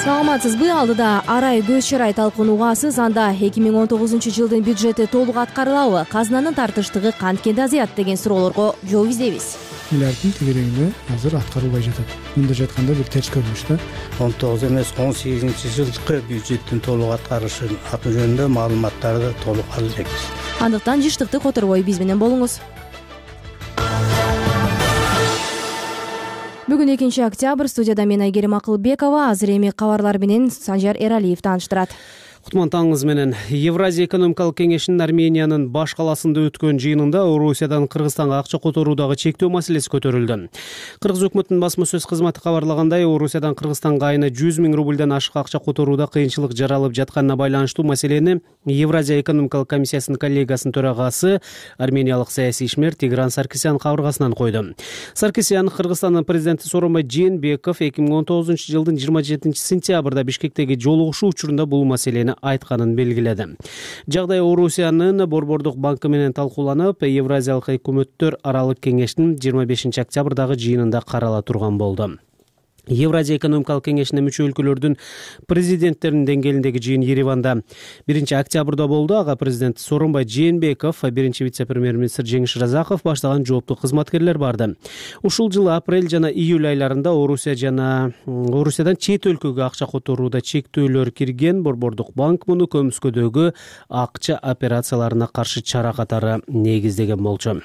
Саламатсызбы? Алдыда арай көз чарай талкуугасыз. Анда 2019-жылдын бюджети толук аткарылабы? Казынанын тартыштыгы канткенде азыят деген суроолорго жооп издейбиз. Миллиарддын тегерегинде азыр аткарылбай жатат. Мында жатканда бир терс көрүнүш да. 19 эмес 18-жылкы бюджеттин толук аткарышы жөнүндө маалыматтарды толук ала элекпиз. Андыктан жыштыкты которбой биз менен болуңуз. Бүгүн 2-октябрь, студияда мен Айгерим Акылбекова, азыр эми кабарлар менен Санжар Эралиев тааныштырат. Кутман таңыңыз менен. Евразия экономикалык кеңешинин Армениянын баш каласында өткөн жыйынында Орусиядан Кыргызстанга акча которуудагы чектөө маселеси көтөрүлдү. Кыргыз өкмөтүнүн басма сөз кызматы кабарлагандай, Орусиядан Кыргызстанга айына 100 000 рубльдан ашык акча которууда кыйынчылык жаралып жатканына байланыштуу маселени Евразия экономикалык комиссиясынын коллегиясынын төрагасы, армениялык саясий ишмер Тигран Саркисян кабыргасынан койду. Саркисян Кыргызстандын президенти Сооронбай Жээнбеков 2019-жылдын 27-сентябрда Бишкектеги жолугушуу учурунда бул маселени айтканын белгиледи. Жагдай Орусиянын Борбордук банкы менен талкууланып, Евразиялык өкмөттөр аралык кеңештин 25-октябрдагы жыйынында карала турган болду. Евразия экономикалык кеңешине мүчө өлкөлөрдүн президенттеринин деңгээлиндеги жыйын Ереванда 1-октябрда болду. Ага президент Сооронбай Жээнбеков, биринчи вице-премьер-министр Жеңиш Разаков баштаган жооптуу кызматкерлер барды. Ушул жылы апрель жана июль айларында Орусиядан чет өлкөгө акча которууда чектөөлөр кирген. Борбордук банк муну көмүскөдөгү акча операцияларына каршы чара катары негиздеген болчу.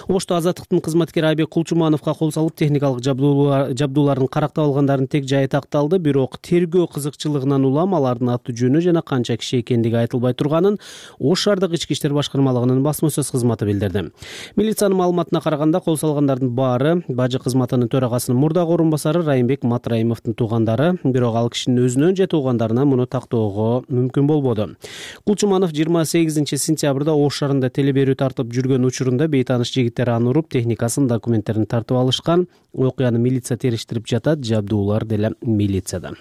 Ошто Азаттыктын кызматкери Айбек Кулчумановго кол салып, техникалык жабдууларын карактап алгандарын тег жайы такталды. Бирок тергөө кызыкчылыгынан улам алардын аты жөнү жана канча киши экендиги айтылбай турганын Ош шаардык ички иштер башкармалыгынын басма сөз кызматы билдирди. Милициянын маалыматына караганда, кол салгандардын баары бажы кызматынын төрагасынын мурдагы орун басары Райымбек Матраимовдун туугандары, бирок ал кишинин өзүнөн же туугандарына муну тактоого мүмкүн болбоду. Кулчуманов 28-сентябрда Ош шаарында теле берүү тартып жүргөн учурунда таныш жигиттер аны уруп, техникасын, документтерин тартып алышкан. Окуяны милиция териштирип жатат, жабдуулар деле милицияда.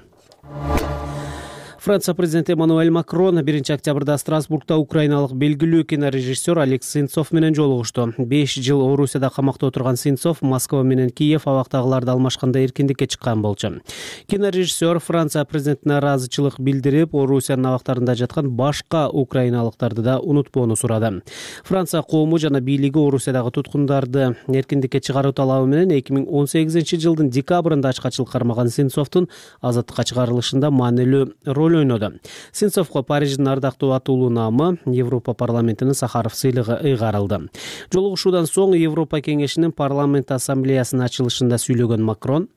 Франция президенти Эммануэль Макрон 1-октябрда Страсбургда украиналык белгилүү кинорежиссер Алекс Синцов менен жолугушту. 5 жыл Орусияда камакта отурган Синцов Москва менен Киев абактагыларды алмашканда эркиндикке чыккан болчу. Кинорежиссер Франция президентине ыраазычылык билдирип, Орусиянын абактарында жаткан башка украиналыктарды да унутпоону сурады. Франция коому жана бийлиги Орусиядагы туткундарды эркиндикке чыгаруу талабы менен 2018-жылдын декабрында ачкачылык кармаган Синцовдун азаттыкка чыгарылышында маанилүү роль ойноду. Синцовго Париждин ардактуу атуулуу наамы Европа парламентинин Сахаров сыйлыгы ыйгарылды. Жолугушуудан соң Европа кеңешинин парламент ассамблеясынын ачылышында сүйлөгөн Макрон: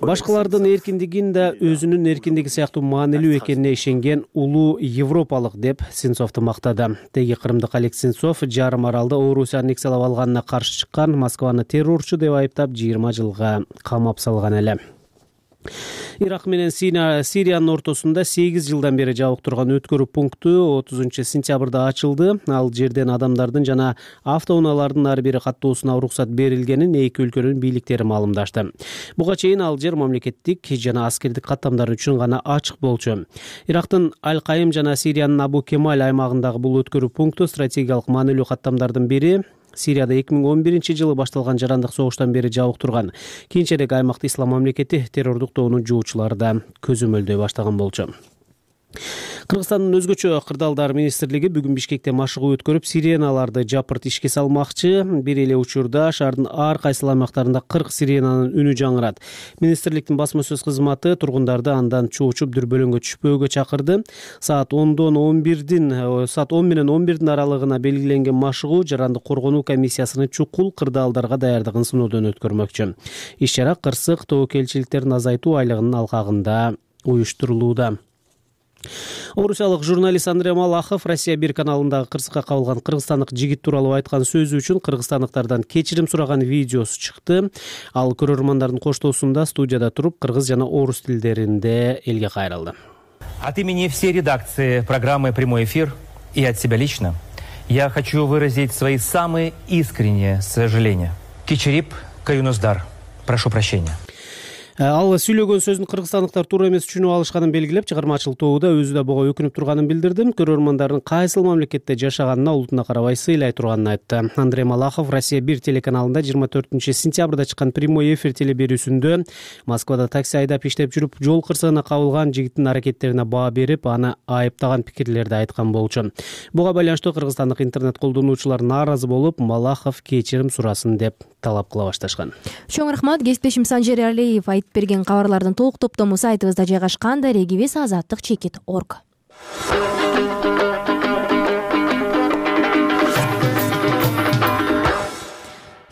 башкалардын эркиндигин да өзүнүн эркиндиги сыяктуу маанилүү экенине ишенген улуу европалык деп Синцовду мактады. Теги кырымдык Алекс Синцов жарым аралда Орусияны никселеп алганына каршы чыккан, Москваны террорчу деп айыптап 20 жылга камап салган эле. Ирак менен Сириянын ортосунда 8 жылдан бери жабык турган өткөрүү пункту 30-сентябрда ачылды. Ал жерден адамдардын жана автоунаалардын ар бири каттоосуна уруксат берилгенин эки өлкөнүн бийликтери маалымдашты. Буга чейин ал жер мамлекеттик жана аскердик каттамдар үчүн гана ачык болчу. Ирактын Аль-Кайым жана Сириянын Абу Кемаль аймагындагы бул өткөрүү пункту стратегиялык маанилүү каттамдардын бири. Сирияда 2011-жылы башталган жарандык согуштан бери жабык турган. Кийинчерээк аймакты ислам мамлекети террордук тобунун жоочулары да көзөмөлдөй баштаган болчу. Кыргызстандын өзгөчө кырдаалдар министрлиги бүгүн Бишкекте машыгуу өткөрүп, сиреналарды жапырт ишке салмакчы. Бир эле учурда шаардын ар кайсыл аймактарында 40 сиренанын үнү жаңырат. Министрликтин басма сөз кызматы тургундарды андан чоочуп дүрбөлөңгө түшпөөгө чакырды. Саат 10 менен 11 аралыгына белгиленген машыгуу жарандык коргонуу комиссиясынын чукул кырдаалдарга даярдыгын сыноодон өткөрмөкчү. Иш-чара кырсык тобокелчиликтерин азайтуу айлыгынын алкагында уюштурулууда. Орусиялык журналист Андрей Малахов Россия 1 каналындагы кырсыкка кабылган кыргызстандык жигит тууралуу айткан сөзү үчүн кыргызстандыктардан кечирим сураган видеосу чыкты. Ал көрөрмандардын коштоосунда студияда туруп кыргыз жана орус тилдеринде элге кайрылды. От имени всей редакции программы «Прямой эфир» и от себя лично я хочу выразить свои самые искренние сожаления. Кичирип Каюнуздар. Прошу прощения. Ал сүйлөгөн сөздүн кыргызстандыктар туура эмес түшүнүп алышканын белгилеп, чыгармачылык тобу да өзү да буга өкүнүп турганын билдирди. Көрөрмандардын кайсыл мамлекетте жашаганына, улутуна карабай сыйлай турганын айтты. Андрей Малахов Россия 1 телеканалында 24 сентябрда чыккан прямой эфир телеберүүсүндө Москвада такси айдап иштеп жүрүп, жол кырсыгына кабылган жигиттин аракеттерине баа берип, аны айыптаган пикирлерди айткан болчу. Буга байланыштуу кыргызстандык интернет колдонуучулар нааразы болуп, Малахов кечирим сурасын деп талап кыла башташкан. Чоң рахмат. Кесиптешим Санжер Алиев айтып берген кабарлардын толук топтому сайтыбызда жайгашкан. Дарегибиз azаттык.org.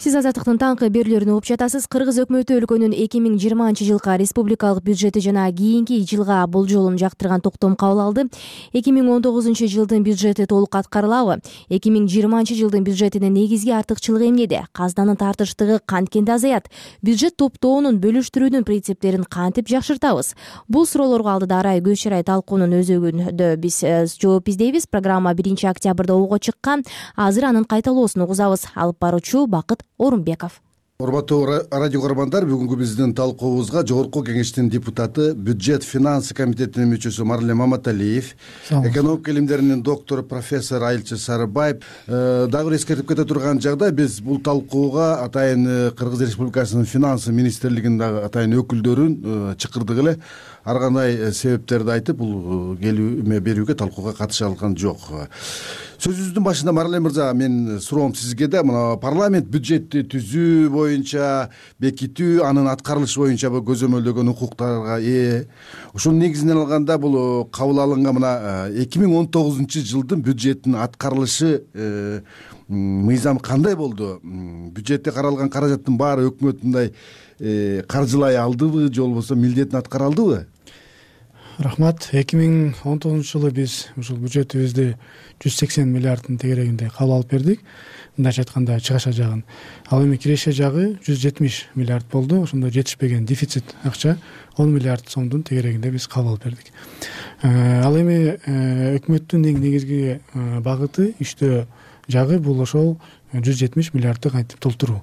Сиз Азаттыктын таңкы берүүлөрүн угуп жатасыз. Кыргыз өкмөтү өлкөнүн 2020 жылга республикалык бюджети жана кийинки жылга болжолун жактырган токтом кабыл алды. 2019 жылдын бюджети толук аткарылабы? 2020 жылдын бюджетинин негизги артыкчылыгы эмнеде? Казнанын тартыштыгы канткенде азаят? Бюджет топтоонун, бөлүштүрүүнүн принциптерин кантип жакшыртабыз? Бул суроолорго алдыда арай көз чарай талкуунун өзөгүндө биз жооп издейбиз. Программа 1 октябрда ого чыккан. Азыр анын кайталоосун угузабыз. Алып баруучу Бакыт Орунбеков. Урматтуу радио көрөрмандар, бүгүнкү биздин талкуубузга Жогорку Кеңештин депутаты, бюджет финансы комитетинин мүчөсү Марлен Маматалиев, экономика илимдеринин доктору профессор Айылчы Сарыбаев. Дагы бир эскертип кете турган жагда, биз бул талкууга атайын Кыргыз Республикасынын финансы министрлигинин дагы атайын өкүлдөрүн чакырдык эле. Ар кандай себептерди айтып, бул келүүмө берүүгө талкууга катыша алган жок. Сөзүбүздүн башында Марлен мырза, мен суроом сизге да, мына парламент бюджетти түзүү боюнча, бекитүү, анын аткарылышы боюнча көзөмөлдөгөн укуктарга ээ. Ошонун негизинен алганда бул кабыл алынган мына 2019 жылдын бюджеттин аткарылышы мыйзам кандай болду? Бюджетте каралган каражаттын баары өкмөт мындай каржылай алдыбы, же болбосо милдетин аткара алдыбы? Рахмат. 2019 жылы биз ушул бюджетибизди 180 миллиарддын тегерегинде кабыл алып бердик. Мындайча айтканда чыгаша жагын. Ал эми киреше жагы 170 миллиард болду. Ошондо жетишпеген дефицит акча 10 миллиард сомдун тегерегинде биз кабыл алып бердик. Ал эми өкмөттүн эң негизги багыты иштөө жагы бул ошол 170 миллиардды кантип толтуруу.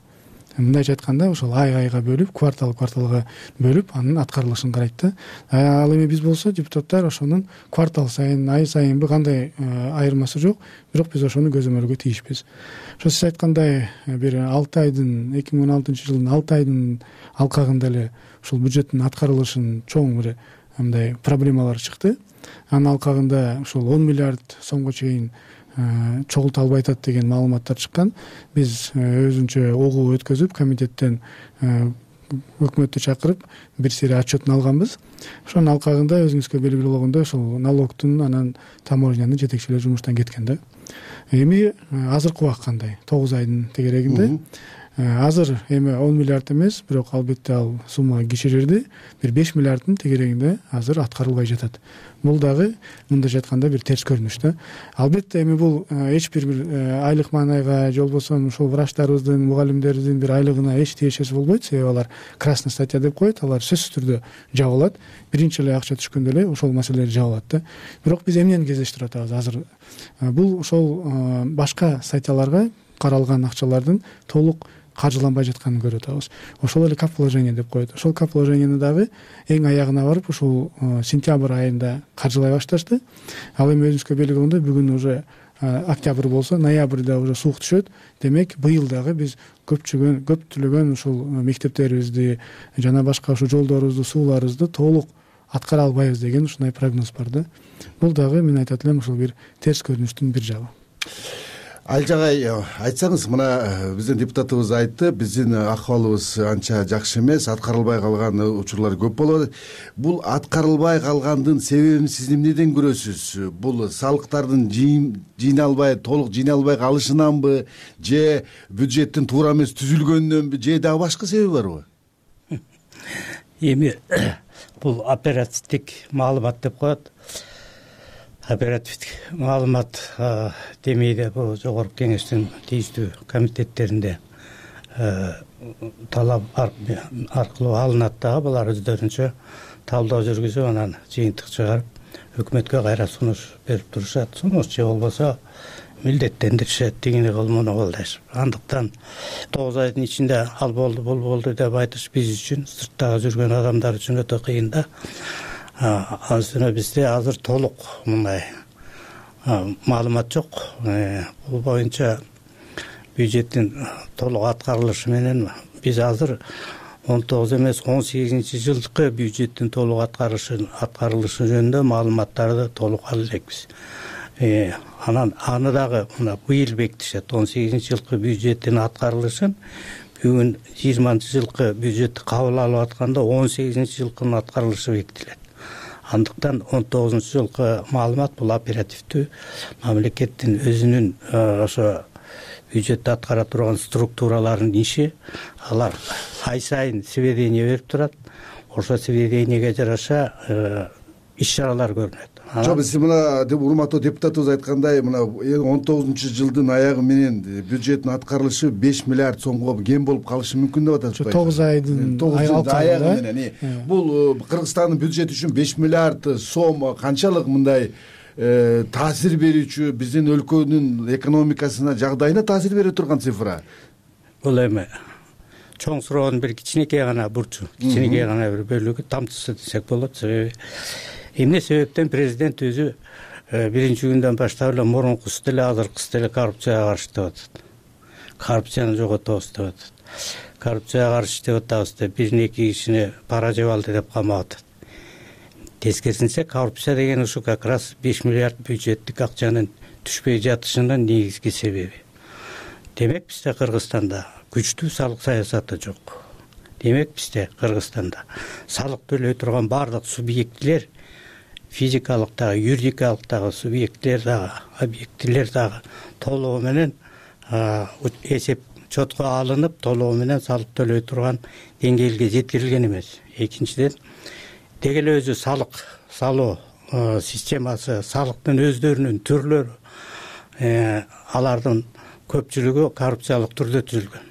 Мындайча айтканда ошол айга бөлүп, кварталга бөлүп, анын аткарылышын карайт да. Ал эми биз болсо депутаттар ошонун квартал сайын, ай сайынбы кандай айырмасы жок, бирок биз ошону көзөмөлгө тийишпиз. Ошо сиз айткандай бир 6 айдын, 2016 жылдын 6 айдын алкагында эле ушул бюджеттин аткарылышынын чоң бир мындай проблемалары чыкты. Анын алкагында ушул 10 миллиард сомго чейин чогулта албай атат деген маалыматтар чыккан. Биз өзүнчө огуу өткөзүп, комитеттен өкмөттү чакырып, бир сири отчетун алганбыз. Ошонун алкагында өзүңүзгө белгилүү болгондой, ошол налогтун, анан таможнянын жетекчилери жумуштан кеткен да. Эми азыркы убак кандай? 9 айдын тегерегинде. Азыр эми 10 миллиард эмес, бирок албетте ал сумма кичирирди. Бир 5 миллиарддын тегерегинде азыр аткарылбай жатат. Бул дагы мындайча айтканда бир терс көрүнүш да. Албетте эми бул эч бир айлык маанайга, же болбосо ушул врачтарыбыздын, мугалимдерибиздин бир айлыгына эч тиешеси болбойт. Себеби алар красный статья деп коет, алар сөзсүз түрдө жабылат. Биринчи эле акча түшкөндө эле ошол маселелер жабылат да. Бирок биз эмнени кездештирип атабыз азыр? Бул ошол башка статьяларга каралган акчалардын толук каржыланбай жатканын көрүп атабыз. Ошол эле каположение деп коет. Ошол каположениени дагы эң аягына барып ушул сентябрь айында каржылай башташты. Ал эми өзүңүзгө белгилүү болгондой, бүгүн уже октябрь болсо, ноябрда уже суук түшөт. Демек, быйыл дагы биз көптөгөн ушул мектептерибизди жана башка ушул жолдорубузду, сууларыбызды толук аткара албайбыз деген ушундай прогноз бар да. Бул дагы мен айтат элем ушул бир терс көрүнүштүн бир жагы. Айылжагай, айтсаңыз, мына биздин депутатыбыз айтты, биздин акыбалыбыз анча жакшы эмес, аткарылбай калган учурлар көп болот. Бул аткарылбай калгандын себебин сиз эмнеден көрөсүз? Бул салыктардын жыйналбай, толук жыйналбай калышынанбы, же бюджеттин туура эмес түзүлгөнүнөнбү, же дагы башка себеби барбы? Эми бул оперативдик маалымат деп коет. Оперативдик маалымат демейде бул жогорку кеңештин тийиштүү комитеттеринде талап аркылуу алынат дагы, булар өздөрүнчө талдоо жүргүзүп, анан жыйынтык чыгарып өкмөткө кайра сунуш берип турушат. Сунуш же болбосо милдеттендиришет, тигини кыл, муну кыл дешип. Андыктан 9 айдын ичинде ал болду, бул болду деп айтыш биз үчүн, сырттагы жүргөн адамдар үчүн өтө кыйын да. Ал үстүнө бизде азыр толук мындай маалымат жок. Бул боюнча бюджеттин толук аткарылышы менен биз азыр 19 эмес 18-жылкы бюджеттин толук аткарылышы жөнүндө маалыматтарды толук ала элекпиз. Анан аны дагы мына быйыл бекитишет. 18-жылкы бюджеттин аткарылышын бүгүн 20-жылкы бюджетти кабыл алып атканда 18-жылкынын аткарылышы бекитилет. Андыктан 19-жылкы маалымат бул оперативдүү мамлекеттин өзүнүн ошо бюджетти аткара турган структураларынын иши. Алар ай сайын сведения берип турат. Ошо сведенияге жараша иш-чаралар көрүнөт. Жок, сиз мына урматтуу депутатыбыз айткандай, мына 19-жылдын аягы менен бюджеттин аткарылышы 5 миллиард сомго кем болуп калышы мүмкүн деп атат. 9 айдын аягы менен. Бул Кыргызстандын бюджети үчүн 5 миллиард сом канчалык мындай таасир берүүчү, биздин өлкөнүн экономикасына, жагдайына таасир бере турган цифра? Бул эми чоң суроонун бир кичинекей гана бурчу, кичинекей гана бир бөлүгү, тамчысы десек болот. Себеби эмне себептен президент өзү биринчи күндөн баштап эле мурункусу деле азыркысы деле коррупцияга каршы деп атат. Коррупцияны жоготобуз деп атат. Коррупцияга каршы деп атабыз деп бир-эки кишини пара жеп алды деп камап атат. Тескерисинче коррупция деген ушу как раз 5 миллиард бюджеттик акчанын түшпөй жатышынын негизги себеби. Демек бизде Кыргызстанда күчтүү салык саясаты жок. Демек бизде Кыргызстанда салык төлөй турган бардык субъектилер, физикалык дагы, юридикалык дагы субъектилер дагы, объектилер дагы толугу менен эсеп чотко алынып, толугу менен салык төлөй турган деңгээлге жеткирилген эмес. Экинчиден, деги эле өзү салык салуу системасы, салыктын өздөрүнүн түрлөрү, алардын көпчүлүгү коррупциялык түрдө түзүлгөн.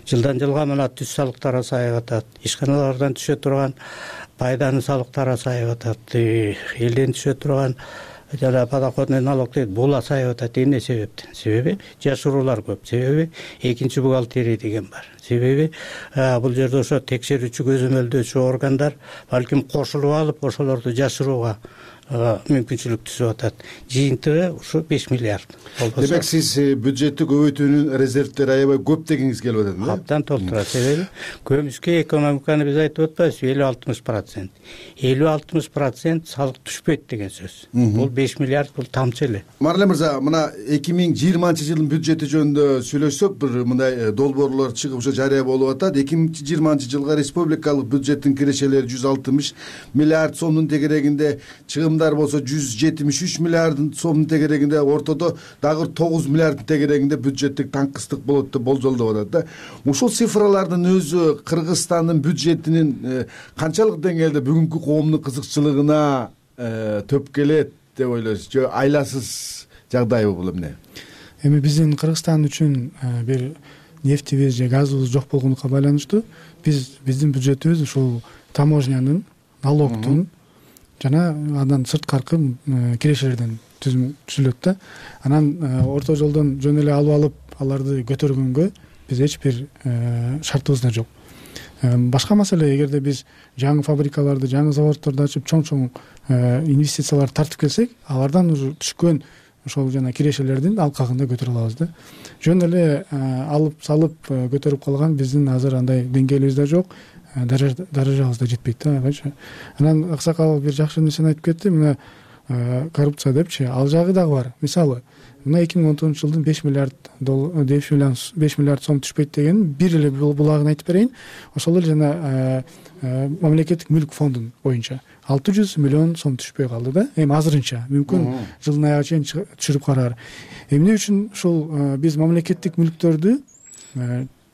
Жылдан жылга мына түз салыктары азайып атат, ишканалардан түшө турган пайданын салыктары азайып атат, элден түшө турган жана подоходный налог дейт, бул азайып атат. Эмне себептен? Себеби жашыруулар көп. Себеби экинчи бухгалтерия деген бар. Себеби бул жерде ошо текшерүүчү, көзөмөлдөөчү органдар балким кошулуп алып, ошолорду жашырууга мүмкүнчүлүк түзүп атат. Жыйынтыгы ушу 5 миллиард. Демек сиз бюджетти көбөйтүүнүн резервдери аябай көп дегиңиз келип атат, э? Абдан толтурат. Себеби көмүскө экономиканы биз айтып атпайбызбы, 50-60%. 50-60% салык түшпөйт деген сөз. Бул 5 миллиард бул тамчы эле. Марале мырза, мына 2020-жылдын бюджети жөнүндө сүйлөшсөк, бир мындай долбоорлор чыгып ошо жарыя болуп атат. 2020-жылга республикалык бюджеттин кирешелери 160 миллиард сомдун тегерегинде, чыгымдар болсо 173 миллиард сомдун тегерегинде, ортодо дагы 9 миллиарддын тегерегинде бюджеттик танкыстык болот деп болжолдоп атат да. Ушул цифралардын өзү Кыргызстандын бюджетинин канчалык деңгээлде бүгүнкү коомдун кызыкчылыгына төп келет деп ойлойсуз? Же айласыз жагдайбы бул эмне? Эми биздин Кыргызстан үчүн бир нефтибиз же газыбыз жок болгондукка байланыштуу биздин бюджетибиз ушул таможнянын, налогтун жана андан сырткаркы кирешелерден түзүлөт да. Анан орто жолдон жөн эле алып аларды көтөргөнгө биз эч бир шартыбыз да жок. Башка маселе, эгерде биз жаңы фабрикаларды, жаңы заводдорду ачып, чоң инвестицияларды тартып келсек, алардан уже түшкөн ошол жана кирешелердин алкагында көтөрө алабыз да. Жөн эле алып салып көтөрүп калган биздин азыр андай деңгээлибиз да жок. даражабыз да жетпейт да айгачы. Анан аксакал бир жакшы нерсени айтып кетти, мына коррупция депчи, ал жагы дагы бар. Мисалы, мына 2019 жылдын 5 миллиард сом түшпөйт деген бир эле булагын айтып берейин. Ошол эле жана мамлекеттик мүлк фондунун боюнча 600 миллион сом түшпөй калды да. Эми азырынча мүмкүн жылдын аягына чейин түшүрүп караар. Эмне үчүн ушул биз мамлекеттик мүлктөрдү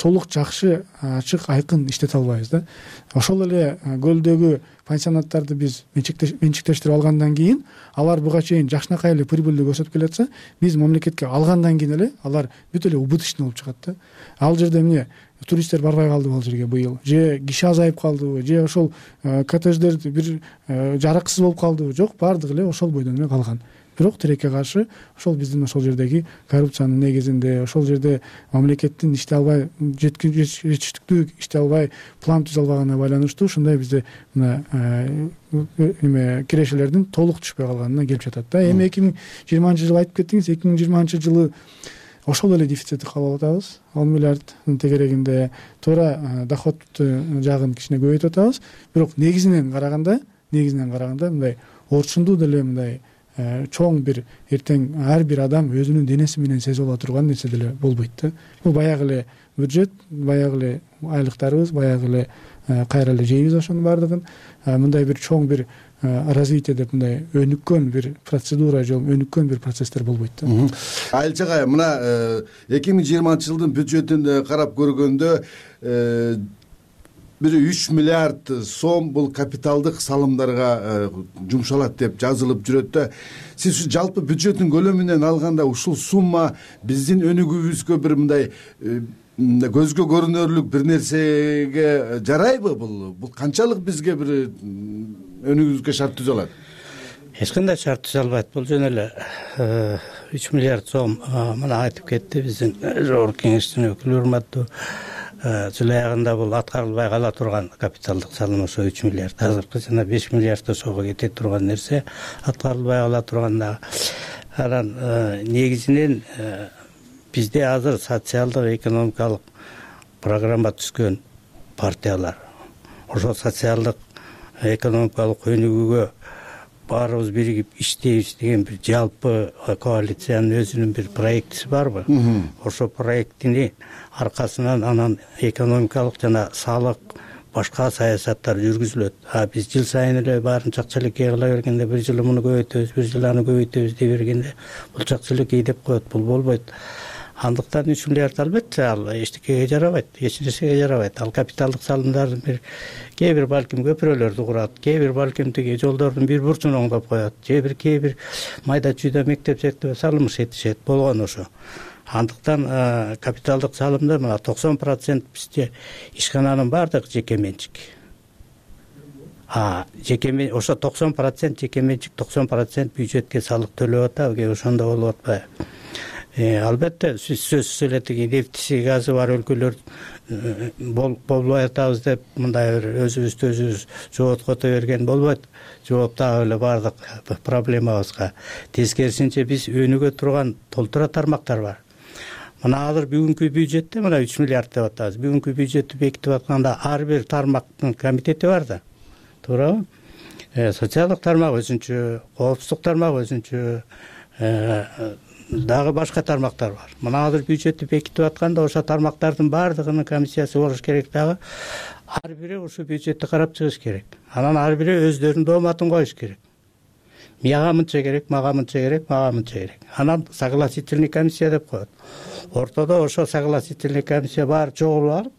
толук жакшы, ачык, айкын иштете албайбыз да. Ошол эле көлдөгү пансионаттарды биз менчиктештирип алгандан кийин алар буга чейин жакшынакай эле прибыльдүү көрсөтүп келатса, биз мамлекетке алгандан кийин эле алар бүт эле убыточный болуп чыгат да. Ал жерде эмне туристтер барбай калдыбы ал жерге быйыл, же киши азайып калдыбы, же ошол коттедждер бир жараксыз болуп калдыбы? Жок, баардыгы эле ошол бойдон эле калган. Бирок тилекке каршы ошол биздин ошол жердеги коррупциянын негизинде, ошол жерде мамлекеттин иштей албай, жетиштиктүү иштей албай, план түзө албаганына байланыштуу ушундай бизде мына кирешелердин толук түшпөй калганына келип жатат да. Эми 2020 жылы айтып кеттиңиз, 2020 жылы ошол эле дефицитти кабыл алып атабыз. 10 миллиарддын тегерегинде туура доход жагын кичине көбөйтүп атабыз. Бирок негизинен караганда мындай орчундуу деле мындай чоң бир эртең ар бир адам өзүнүн денеси менен сезип ала турган нерсе деле болбойт да. Бул баягы эле бюджет, баягы эле айлыктарыбыз, баягы эле кайра эле жейбиз ошонун баардыгын. Мындай бир чоң бир развитие деп мындай өнүккөн бир процедура же өнүккөн бир процесстер болбойт да. Айылча агай, мына 2020 жылдын бюджетин карап көргөндө бир 3 миллиард сом бул капиталдык салымдарга жумшалат деп жазылып жүрөт да. Сиз жалпы бюджеттин көлөмүнөн алганда ушул сумма биздин өнүгүүбүзгө бир мындай көзгө көрүнөрлүк бир нерсеге жарайбы? Бул канчалык бизге бир өнүгүүбүзгө шарт түзө алат? Эч кандай шарт түзө албайт. Бул жөн эле 3 миллиард сом мына айтып кетти биздин жогорку кеңештин өкүлү урматтуу. Жыл аягында бул аткарылбай кала турган капиталдык салым ошо 3 миллиард. Азыркы жана 5 миллиард ошого кете турган нерсе аткарылбай кала турганда. Анан негизинен бизде азыр социалдык экономикалык программа түзгөн партиялар. Ошо социалдык экономикалык өнүгүүгө баарыбыз биригип иштейбиз деген бир жалпы коалициянын өзүнүн бир проектиси барбы? Ошо проектини аркасынан анан экономикалык жана салык башка саясаттар жүргүзүлөт. Биз жыл сайын эле баарын чакчалекей кыла бергенде бир жылы муну көбөйтөбүз, бир жылы аны көбөйтөбүз дей бергенде бул чакчалекей деп коет, бул болбойт. Андыктан 3 миллиард албетте ал эчтекеге жарабайт, эч нерсеге жарабайт. Ал капиталдык салымдардын бир кээ бир балким көпүрөлөрдү курат, кээ бир балким тиги жолдордун бир бурчун оңдоп коет, же бир кээ бир майда чүйдө мектеп салымыш этишет болгон ошо. Андыктан капиталдык салымда мына 90% бизде ишкананын баардыгы жеке менчик. Ошо 90% жеке менчик, 90% бюджетке салык төлөп атабы, ошондо болуп атпайбы? Албетте сөзсүз эле тиги нефтиси, газы бар өлкөлөр болбой атабыз деп мындай өзүбүздү өзүбүз жооткото берген болбойт. Жооп дагы эле баардык проблемабызга. Тескерисинче биз өнүгө турган толтура тармактар бар. Мына азыр бүгүнкү бюджетте мына 3 миллиард деп атабыз. Бүгүнкү бюджетти бекитип атканда ар бир тармактын комитети бар да. Туурабы? Социалдык тармак өзүнчө, коопсуздук тармак өзүнчө, дагы башка тармактар бар. Мына азыр бюджетти бекитип атканда ошо тармактардын баардыгынын комиссиясы болуш керек дагы. Ар бири ушул бюджетти карап чыгыш керек. Анан ар бири өздөрүнүн дооматын коюш керек. Мага мынча керек, мага мынча керек, мага мынча керек. Анан согласительный комиссия деп коет. Ортодо ошо согласительный комиссия баары чогулуп алып,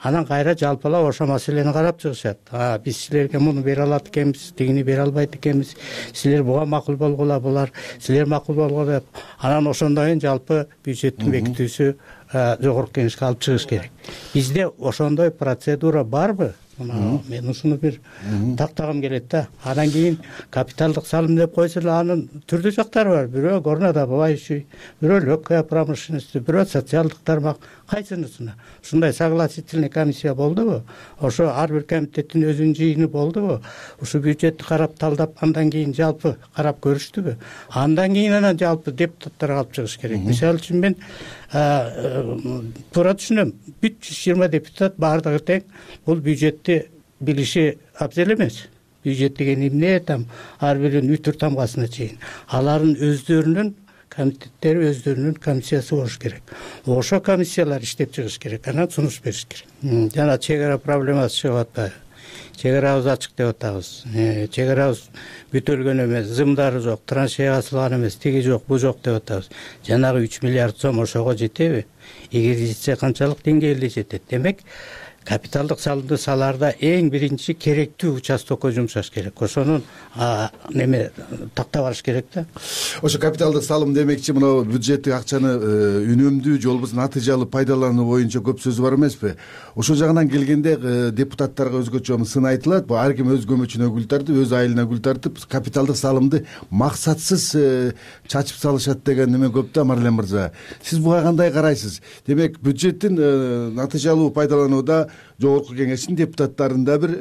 анан кайра жалпылап ошо маселени карап чыгышат. Биз силерге муну бере алат экенбиз, тигини бере албайт экенбиз. Силер буга макул болгула, булар силер макул болгула деп. Анан ошондон кийин жалпы бюджеттин бекитүүсү жогорку кеңешке алып чыгыш керек. Бизде ошондой процедура барбы? Мен ушуну бир тактагым келет да. Анан кийин капиталдык салым деп койсо эле анын түрдүү жактары бар. Бирөө горнодобывающий, бирөө легкая промышленность, бирөө социалдык тармак. Кайсынысына? Ушундай согласительный комиссия болдубу? Ошо ар бир комитеттин өзүнүн жыйыны болдубу? Ушу бюджетти карап талдап, андан кийин жалпы карап көрүштүбү? Андан кийин анан жалпы депутаттарга алып чыгыш керек. Мисалы үчүн мен туура түшүнөм. 320 депутат баардыгы тең бул бюджет бюджетти билиши абзел эмес. Бюджет деген эмне, там ар биринин үтүр тамгасына чейин алардын өздөрүнүн комитеттери, өздөрүнүн комиссиясы болуш керек. Ошо комиссиялар иштеп чыгыш керек, анан сунуш бериш керек. Жана чек ара проблемасы чыгып атпайбы? Чек арабыз ачык деп атабыз. Чек арабыз бүтөлгөн эмес, зымдары жок, траншея асылган эмес, тиги жок, бу жок деп атабыз. Жанагы 3 миллиард сом ошого жетеби? Эгер жетсе канчалык деңгээлде жетет? Демек, капиталдык салымды салаарда эң биринчи керектүү участокко жумшаш керек. Ошонун неме тактап алыш керек да. Ошо капиталдык салым демекчи, мына бюджеттик акчаны үнөмдүү же болбосо натыйжалуу пайдалануу боюнча көп сөз бар эмеспи? Ошол жагынан келгенде депутаттарга өзгөчө сын айтылат. Бул ар ким өз көмөчүнө гүл тартып, өз айылына гүл тартып, капиталдык салымды максатсыз чачып салышат деген неме көп да, Марлен мырза. Сиз буга кандай карайсыз? Демек, бюджеттин натыйжалуу пайдаланууда жогорку кеңештин депутаттарында бир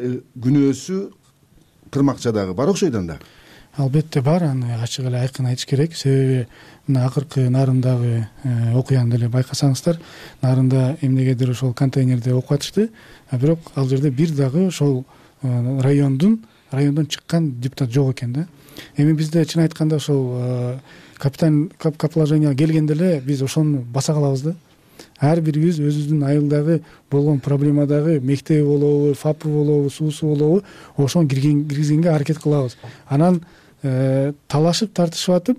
күнөөсү кырмакчадагы бар окшойт анда. Албетте бар, аны ачык эле айкын айтыш керек. Себеби мына акыркы Нарындагы окуяны деле байкасаңыздар, Нарында эмнегедир ошол контейнерде окуп атышты, бирок ал жерде бир дагы ошол райондон чыккан депутат жок экен да. Эми бизде чын айтканда ошол капиталовложение келгенде эле биз ошону баса калабыз да. Ар бирибиз өзүбүздүн айылдагы болгон проблемадагы мектеби болобу, ФАПы болобу, суусу болобу, ошону киргизгенге аракет кылабыз. Анан талашып тартышып атып,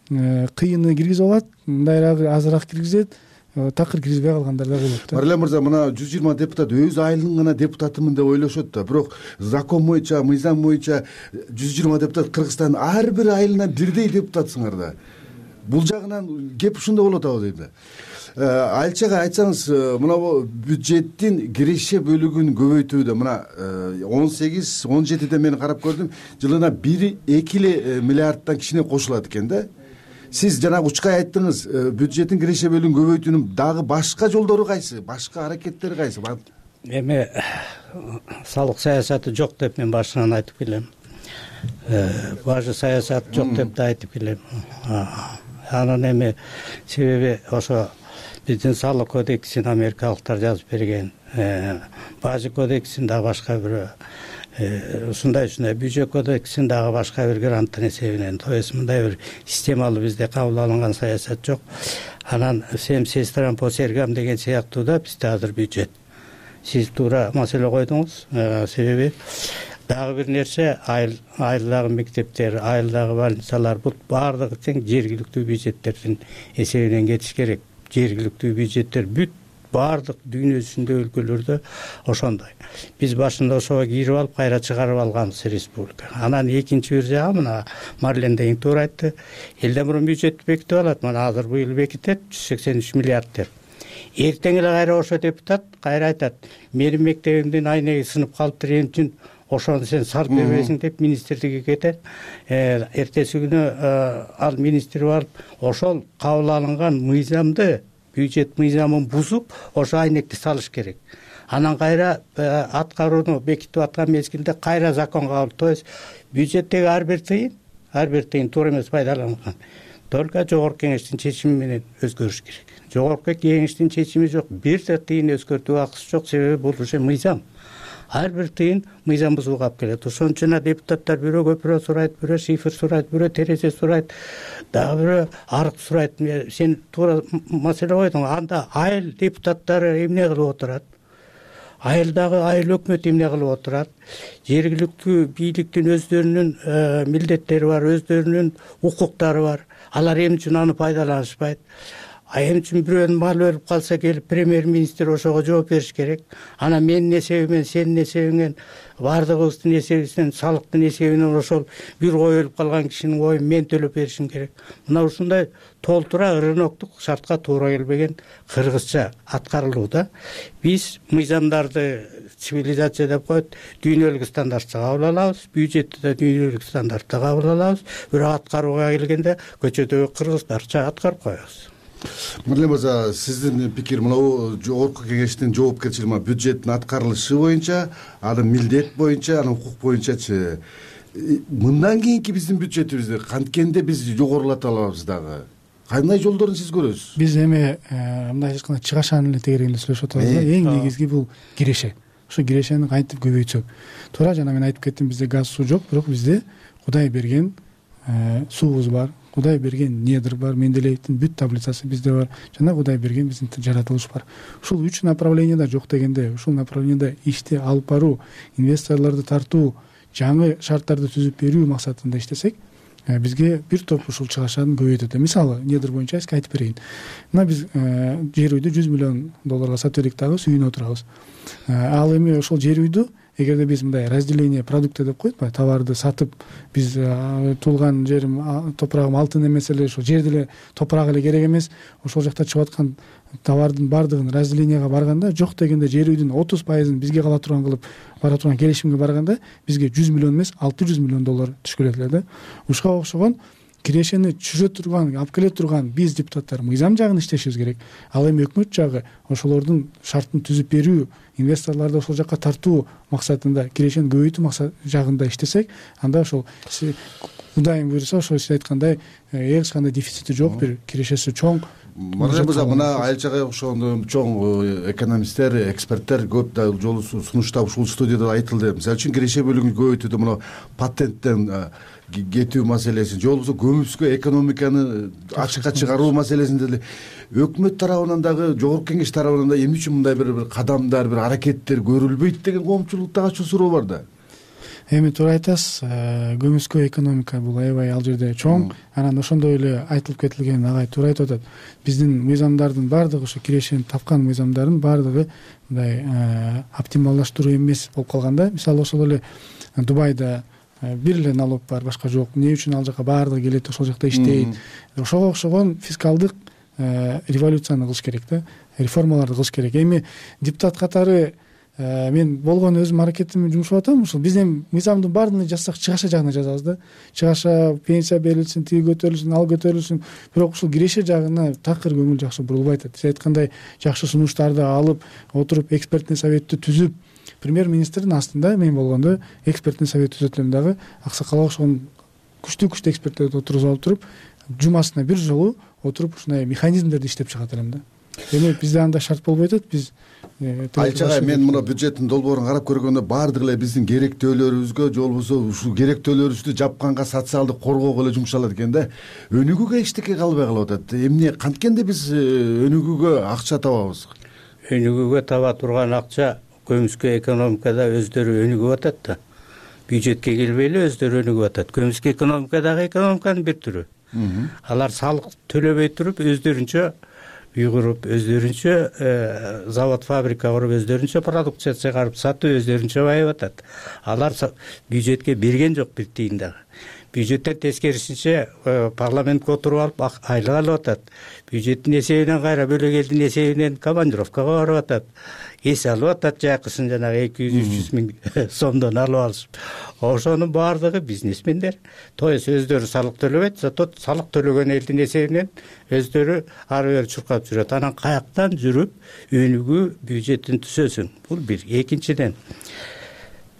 кыйыны киргизип алат, мындайрагы азыраак киргизет, такыр киргизбей калгандар да болот. Марлен мырза, мына 120 депутат өз айылынын гана депутатымын деп ойлошот да, бирок закон боюнча, мыйзам боюнча 120 депутат Кыргызстандын ар бир айылына бирдей депутатсыңар да. Бул жагынан кеп ушундай болуп атабы дейт да. Айылчага айтсаңыз, мына бюджеттин киреше бөлүгүн көбөйтүүдө мына 18-17де мен карап көрдүм, жылына 1-2 миллиардтан кичине кошулат экен да. Сиз жана учкай айттыңыз, бюджеттин киреше бөлүгүн көбөйтүүнүн дагы башка жолдору кайсы, башка аракеттери кайсы? Эми салык саясаты жок деп мен башынан айтып келем. Бажы саясат жок деп да айтып келем. Анан эми себеби ошо биздин салык кодексин америкалыктар жазып берген, бажы кодексин дагы башка бирөө, ушундай бюджет кодексин дагы башка бир гранттын эсебинен, то есть мындай бир системалуу бизде кабыл алынган саясат жок. Анан всем сестрам по сергам деген сыяктуу да бизде азыр бюджет. Сиз туура маселе койдуңуз, себеби дагы бир нерсе, айылдагы мектептер, айылдагы больницалар, бул баардыгы тең жергиликтүү бюджеттердин эсебинен кетиш керек. Жергиликтүү бюджеттер бүт баардык дүйнө жүзүндө өлкөлөрдө ошондой. Биз башында ошого кирип алып, кайра чыгарып алганбыз республика. Анан экинчи бир жагы, мына Марлен деген туура айтты, элден мурун бюджетти бекитип алат, мына азыр быйыл бекитет 183 миллиард деп. Эртең эле кайра ошо депутат кайра айтат, менин мектебимдин айнеги сынып калыптыр, эмне үчүн ошону сен салып бербейсиң деп министрликке кетет. Эртеси күнү ал министр барып, ошол кабыл алынган мыйзамды, бюджет мыйзамын бузуп, ошо айнекти салыш керек. Анан кайра аткарууну бекитип аткан мезгилде кайра закон кабыл. То есть бюджеттеги ар бир тыйын туура эмес пайдаланган. Только жогорку кеңештин чечими менен өзгөрүш керек. Жогорку кеңештин чечими жок, бир тыйын өзгөртүүгө акысы жок, себеби бул уже мыйзам. Ар бир тыйын мыйзам бузууга алып келет. Ошон үчүн депутаттар бирөө көпүрө сурайт, бирөө шифр сурайт, бирөө терезе сурайт, дагы бирөө арык сурайт. Сен туура маселе койдуң. Анда айыл депутаттары эмне кылып отурат? Айылдагы айыл өкмөт эмне кылып отурат? Жергиликтүү бийликтин өздөрүнүн милдеттери бар, өздөрүнүн укуктары бар. Алар эмне үчүн аны пайдаланышпайт? Эмне үчүн бирөөнүн малы өлүп калса келип премьер-министр ошого жооп бериш керек. Анан менин эсебиммен, сенин эсебиңен, баардыгыбыздын эсебибизден, салыктын эсебинен ошол бир кой өлүп калган кишинин коюн мен төлөп беришим керек. Мына ушундай толтура рыноктук шартка туура келбеген кыргызча аткарылууда. Биз мыйзамдарды цивилизация деп коет, дүйнөлүк стандартта кабыл алабыз, бюджетти да дүйнөлүк стандартта кабыл алабыз, бирок аткарууга келгенде көчөдөгү кыргыздарча аткарып коебуз. Марлен мырза, сиздин пикир мына жогорку кеңештин жоопкерчилиги бюджеттин аткарылышы боюнча, анын милдет боюнча, анын укук боюнчачы мындан кийинки биздин бюджетибизди канткенде биз жогорулата алабыз дагы? Кандай жолдорун сиз көрөсүз? Биз эми мындай айтканда чыгашаны эле тегерегинде сүйлөшүп атабыз да. Эң негизги бул киреше. ошо кирешени кантип көбөйтсөк. Туура жана мен айтып кеттим, бизде газ, суу жок, бирок бизде Кудай берген суубуз бар, Кудай берген недр бар, Менделеевдин бүт таблицасы бизде бар, жана Кудай берген биздин жаратылыш бар. Ушул 3 направлениеда жок дегенде, ушул направлениеда ишти алып баруу, инвесторлорду тартуу, жаңы шарттарды түзүп берүү максатында иштесек, бизге бир топ ушул чыгашаны көбөйтөт. Мисалы, недр боюнча сизге айтып берейин. Мына биз жер үйдү $100 миллион сатып бердик, дагы сүйүнүп отурабыз. Ал эми ошол жер үйдү эгерде биз мындай разделение продукта деп коет баягы, товарды сатып, биз туулган жерим, топурагым алтын эмес эле, ошол жерде эле топурак эле керек эмес, ошол жакта чыгып аткан товардын баардыгын разделенияга барганда, жок дегенде жер үйдүн 30% бизге кала турган кылып бара турган келишимге барганда, бизге $100 миллион эмес, $600 миллион түшкүлөт эле да. Ушуга окшогон кирешени түшүрө турган, алып келе турган биз депутаттар мыйзам жагын иштешибиз керек. Ал эми өкмөт жагы ошолордун шартын түзүп берүү, инвесторлорду ошол жакка тартуу максатында, кирешени көбөйтүү максат жагында иштесек, анда ошол Кудайым буйруса, ошол сиз айткандай эч кандай дефицити жок, бир кирешеси чоң. Мына Айылчага окшогон чоң экономисттер, эксперттер көп да жолу сунуштап ушул студияда айтылды. Мисалы үчүн киреше бөлүгүн көбөйтүүдө мына патенттен кетүү маселеси, же болбосо көмүскө экономиканы ачыкка чыгаруу маселесинде деле өкмөт тарабынан дагы, жогорку кеңеш тарабынан да эмне үчүн мындай бир кадамдар, бир аракеттер көрүлбөйт деген коомчулукта ачуу суроо бар да. Эми туура айтасыз, көмүскө экономика бул аябай ал жерде чоң, анан ошондой эле айтылып кетилген, агай туура айтып атат. Биздин мыйзамдардын баардыгы, ошо кирешени тапкан мыйзамдардын баардыгы мындай оптималдаштыруу эмес болуп калганда. Мисалы, ошол эле Дубайда бир эле налог бар, башка жок. Эмне үчүн ал жака баардыгы келет, ошол жакта иштейт. Ошого окшогон фискалдык революцияны кылыш керек да, реформаларды кылыш керек. Эми депутат катары мен болгон өзүм аракетимди жумшап атам. Ушул биз эми мыйзамдын баардыгын жазсак, чыгаша жагына жазабыз да. Чыгаша пенсия берилсин, тиги көтөрүлсүн, ал көтөрүлсүн. Бирок ушул киреше жагына такыр көңүл жакшы бурулбай атат. Сиз айткандай жакшы сунуштарды алып, отуруп экспертный советти түзүп, премьер-министрдин астында мен болгондо экспертный совет түзөтүлөм дагы, аксакалга окшогон күчтүү эксперттерди отургузуп алып туруп, жумасына бир жолу отуруп ушундай механизмдерди иштеп чыгат элем да. Эми бизде анда шарт болбой атат. Биз Айчага мен мына бюджеттин долбоорун карап көргөндө баардык эле биздин керектөөлөрүбүзгө, же болбосо ушул керектөөлөрүбүздү жапканга, социалдык коргоого эле жумшалат экен да. Өнүгүүгө эчтеке калбай калып атат. Эмне канткенде биз өнүгүүгө акча табабыз? Өнүгүүгө таба турган акча көмүскө экономикада өздөрү өнүгүп атат да. Бюджетке келбей эле өздөрү өнүгүп атат. Көмүскө экономикадагы экономиканын бир түрү. Алар салык төлөбөй туруп өздөрүнчө үй куруп, өздөрүнчө завод, фабрика куруп, өздөрүнчө продукция чыгарып сатып, өздөрүнчө байып атат. Алар бюджетке берген жок бир тиын дагы. Бюджеттен тескерисинче парламентке отуруп алып айлык алып атат. Бюджеттин эсебинен кайра бөлөк элдин эсебинен командировкага барып атат. Эс алып атат, жакысын жанагы 200-300 миң сомдон алып алышып. Ошонун баардыгы бизнесмендер. То есть өздөрү салык төлөбөйт, зато салык төлөгөн элдин эсебинен өздөрү ары бери чуркап жүрөт. Анан каяктан жүрүп өнүгүү бюджеттин түзөсүң? Бул бир. Экинчиден,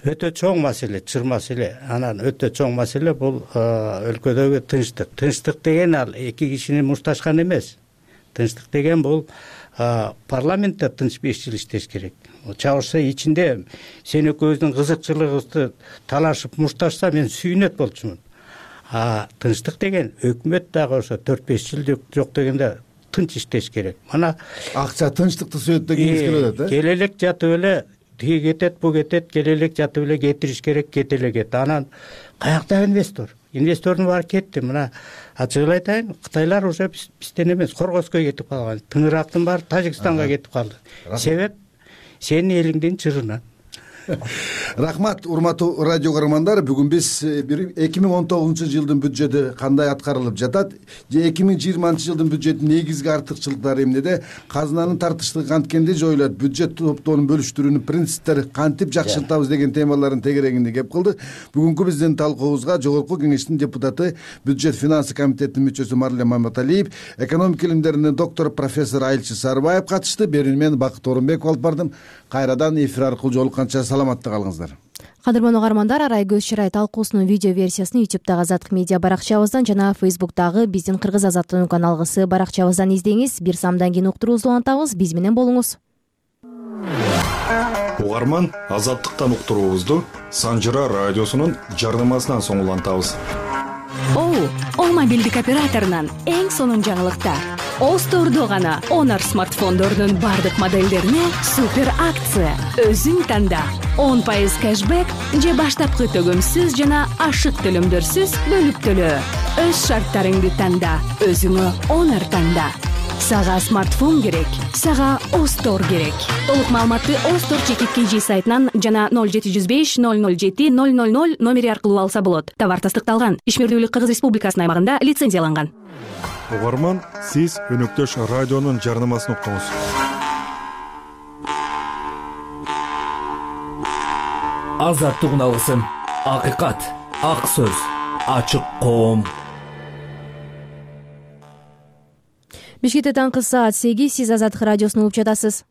өтө чоң маселе, чыр маселе. Анан өтө чоң маселе бул өлкөдөгү тынчтык. Тынчтык деген ал эки кишини мушташкан эмес. Тынчтык деген бул парламентте тынч 5 жыл иштеш керек. Чабышса ичинде сен экөөбүздүн кызыкчылыгыбызды талашып мушташса мен сүйүнөт болчумун. Тынчтык деген өкмөт дагы ошо 4-5 жыл жок дегенде тынч иштеш керек. Мана акча тынчтыкты сөйт дегенибиз келип атат, келе элек жатып эле тиги кетет, бу кетет, келе элек жатып эле кетириш керек, кете эле кет. Анан каякта инвестор? Инвестордун баары кетти. Мына ачык эле айтайын, кытайлар уже бизден эмес, Коргоское кетип калган. Тыңырактын баары Тажикстанга кетип калды. Себеп сенин элиңдин чырынан. Рахмат, урматтуу радио көрөрмандар. Бүгүн биз 2019 жылдын бюджети кандай аткарылып жатат, же 2020 жылдын бюджетинин негизги артыкчылыктары эмнеде, казынанын тартыштыгы канткенде жоюлат, бюджет топтоонун бөлүштүрүүнүн принциптери кантип жакшыртабыз деген темалардын тегерегинде кеп кылдык. Бүгүнкү биздин талкуубузга Жогорку Кеңештин депутаты, бюджет финансы комитетинин мүчөсү Марлен Маматалиев, экономика илимдеринин доктору профессор Айылчы Сарыбаев катышты. Берүүнү мен Бакыт Орунбеков алып бардым. Кайрадан эфир аркылуу жолукканча саламатта калыңыздар. Кадырман угармандар, Арай көз чырай талкуусунун видео версиясын YouTube'дагы Азаттык медиа баракчабыздан жана Facebook'тагы биздин Кыргыз Азаттык каналыбызы баракчабыздан издеңиз. Бир самдан кийин уктуруубузду улантабыз. Биз менен болуңуз. угарман, азаттыктан уктуруубузду Санжыра радиосунун жарнамасынан соң улантабыз. О мобилдик операторунан эң сонун жаңылыктар. Остордо гана Honor смартфондорунун бардык моделдерине супер акция. Өзүң танда 10% кэшбэк же баштапкы төгөмсүз жана ашык төлөмдөрсүз бөлүп төлөө. Өз шарттарыңды танда, өзүңө Honor танда. Сага смартфон керек, сага Остор керек. Толук маалыматты Остор ЧККЖ сайтынан жана 0705 007 000 номери аркылуу алса болот. Товар тастыкталган. Ишмердүүлүк Кыргыз Республикасынын аймагында лицензияланган. Угарман, сиз өнөктөш радионун жарнамасын уктуңуз. Азаттык алгысым, акыйкат, ак сөз, ачык коом. Бишкекте таңкы саат 8, сиз Азаттык радиосун угуп жатасыз.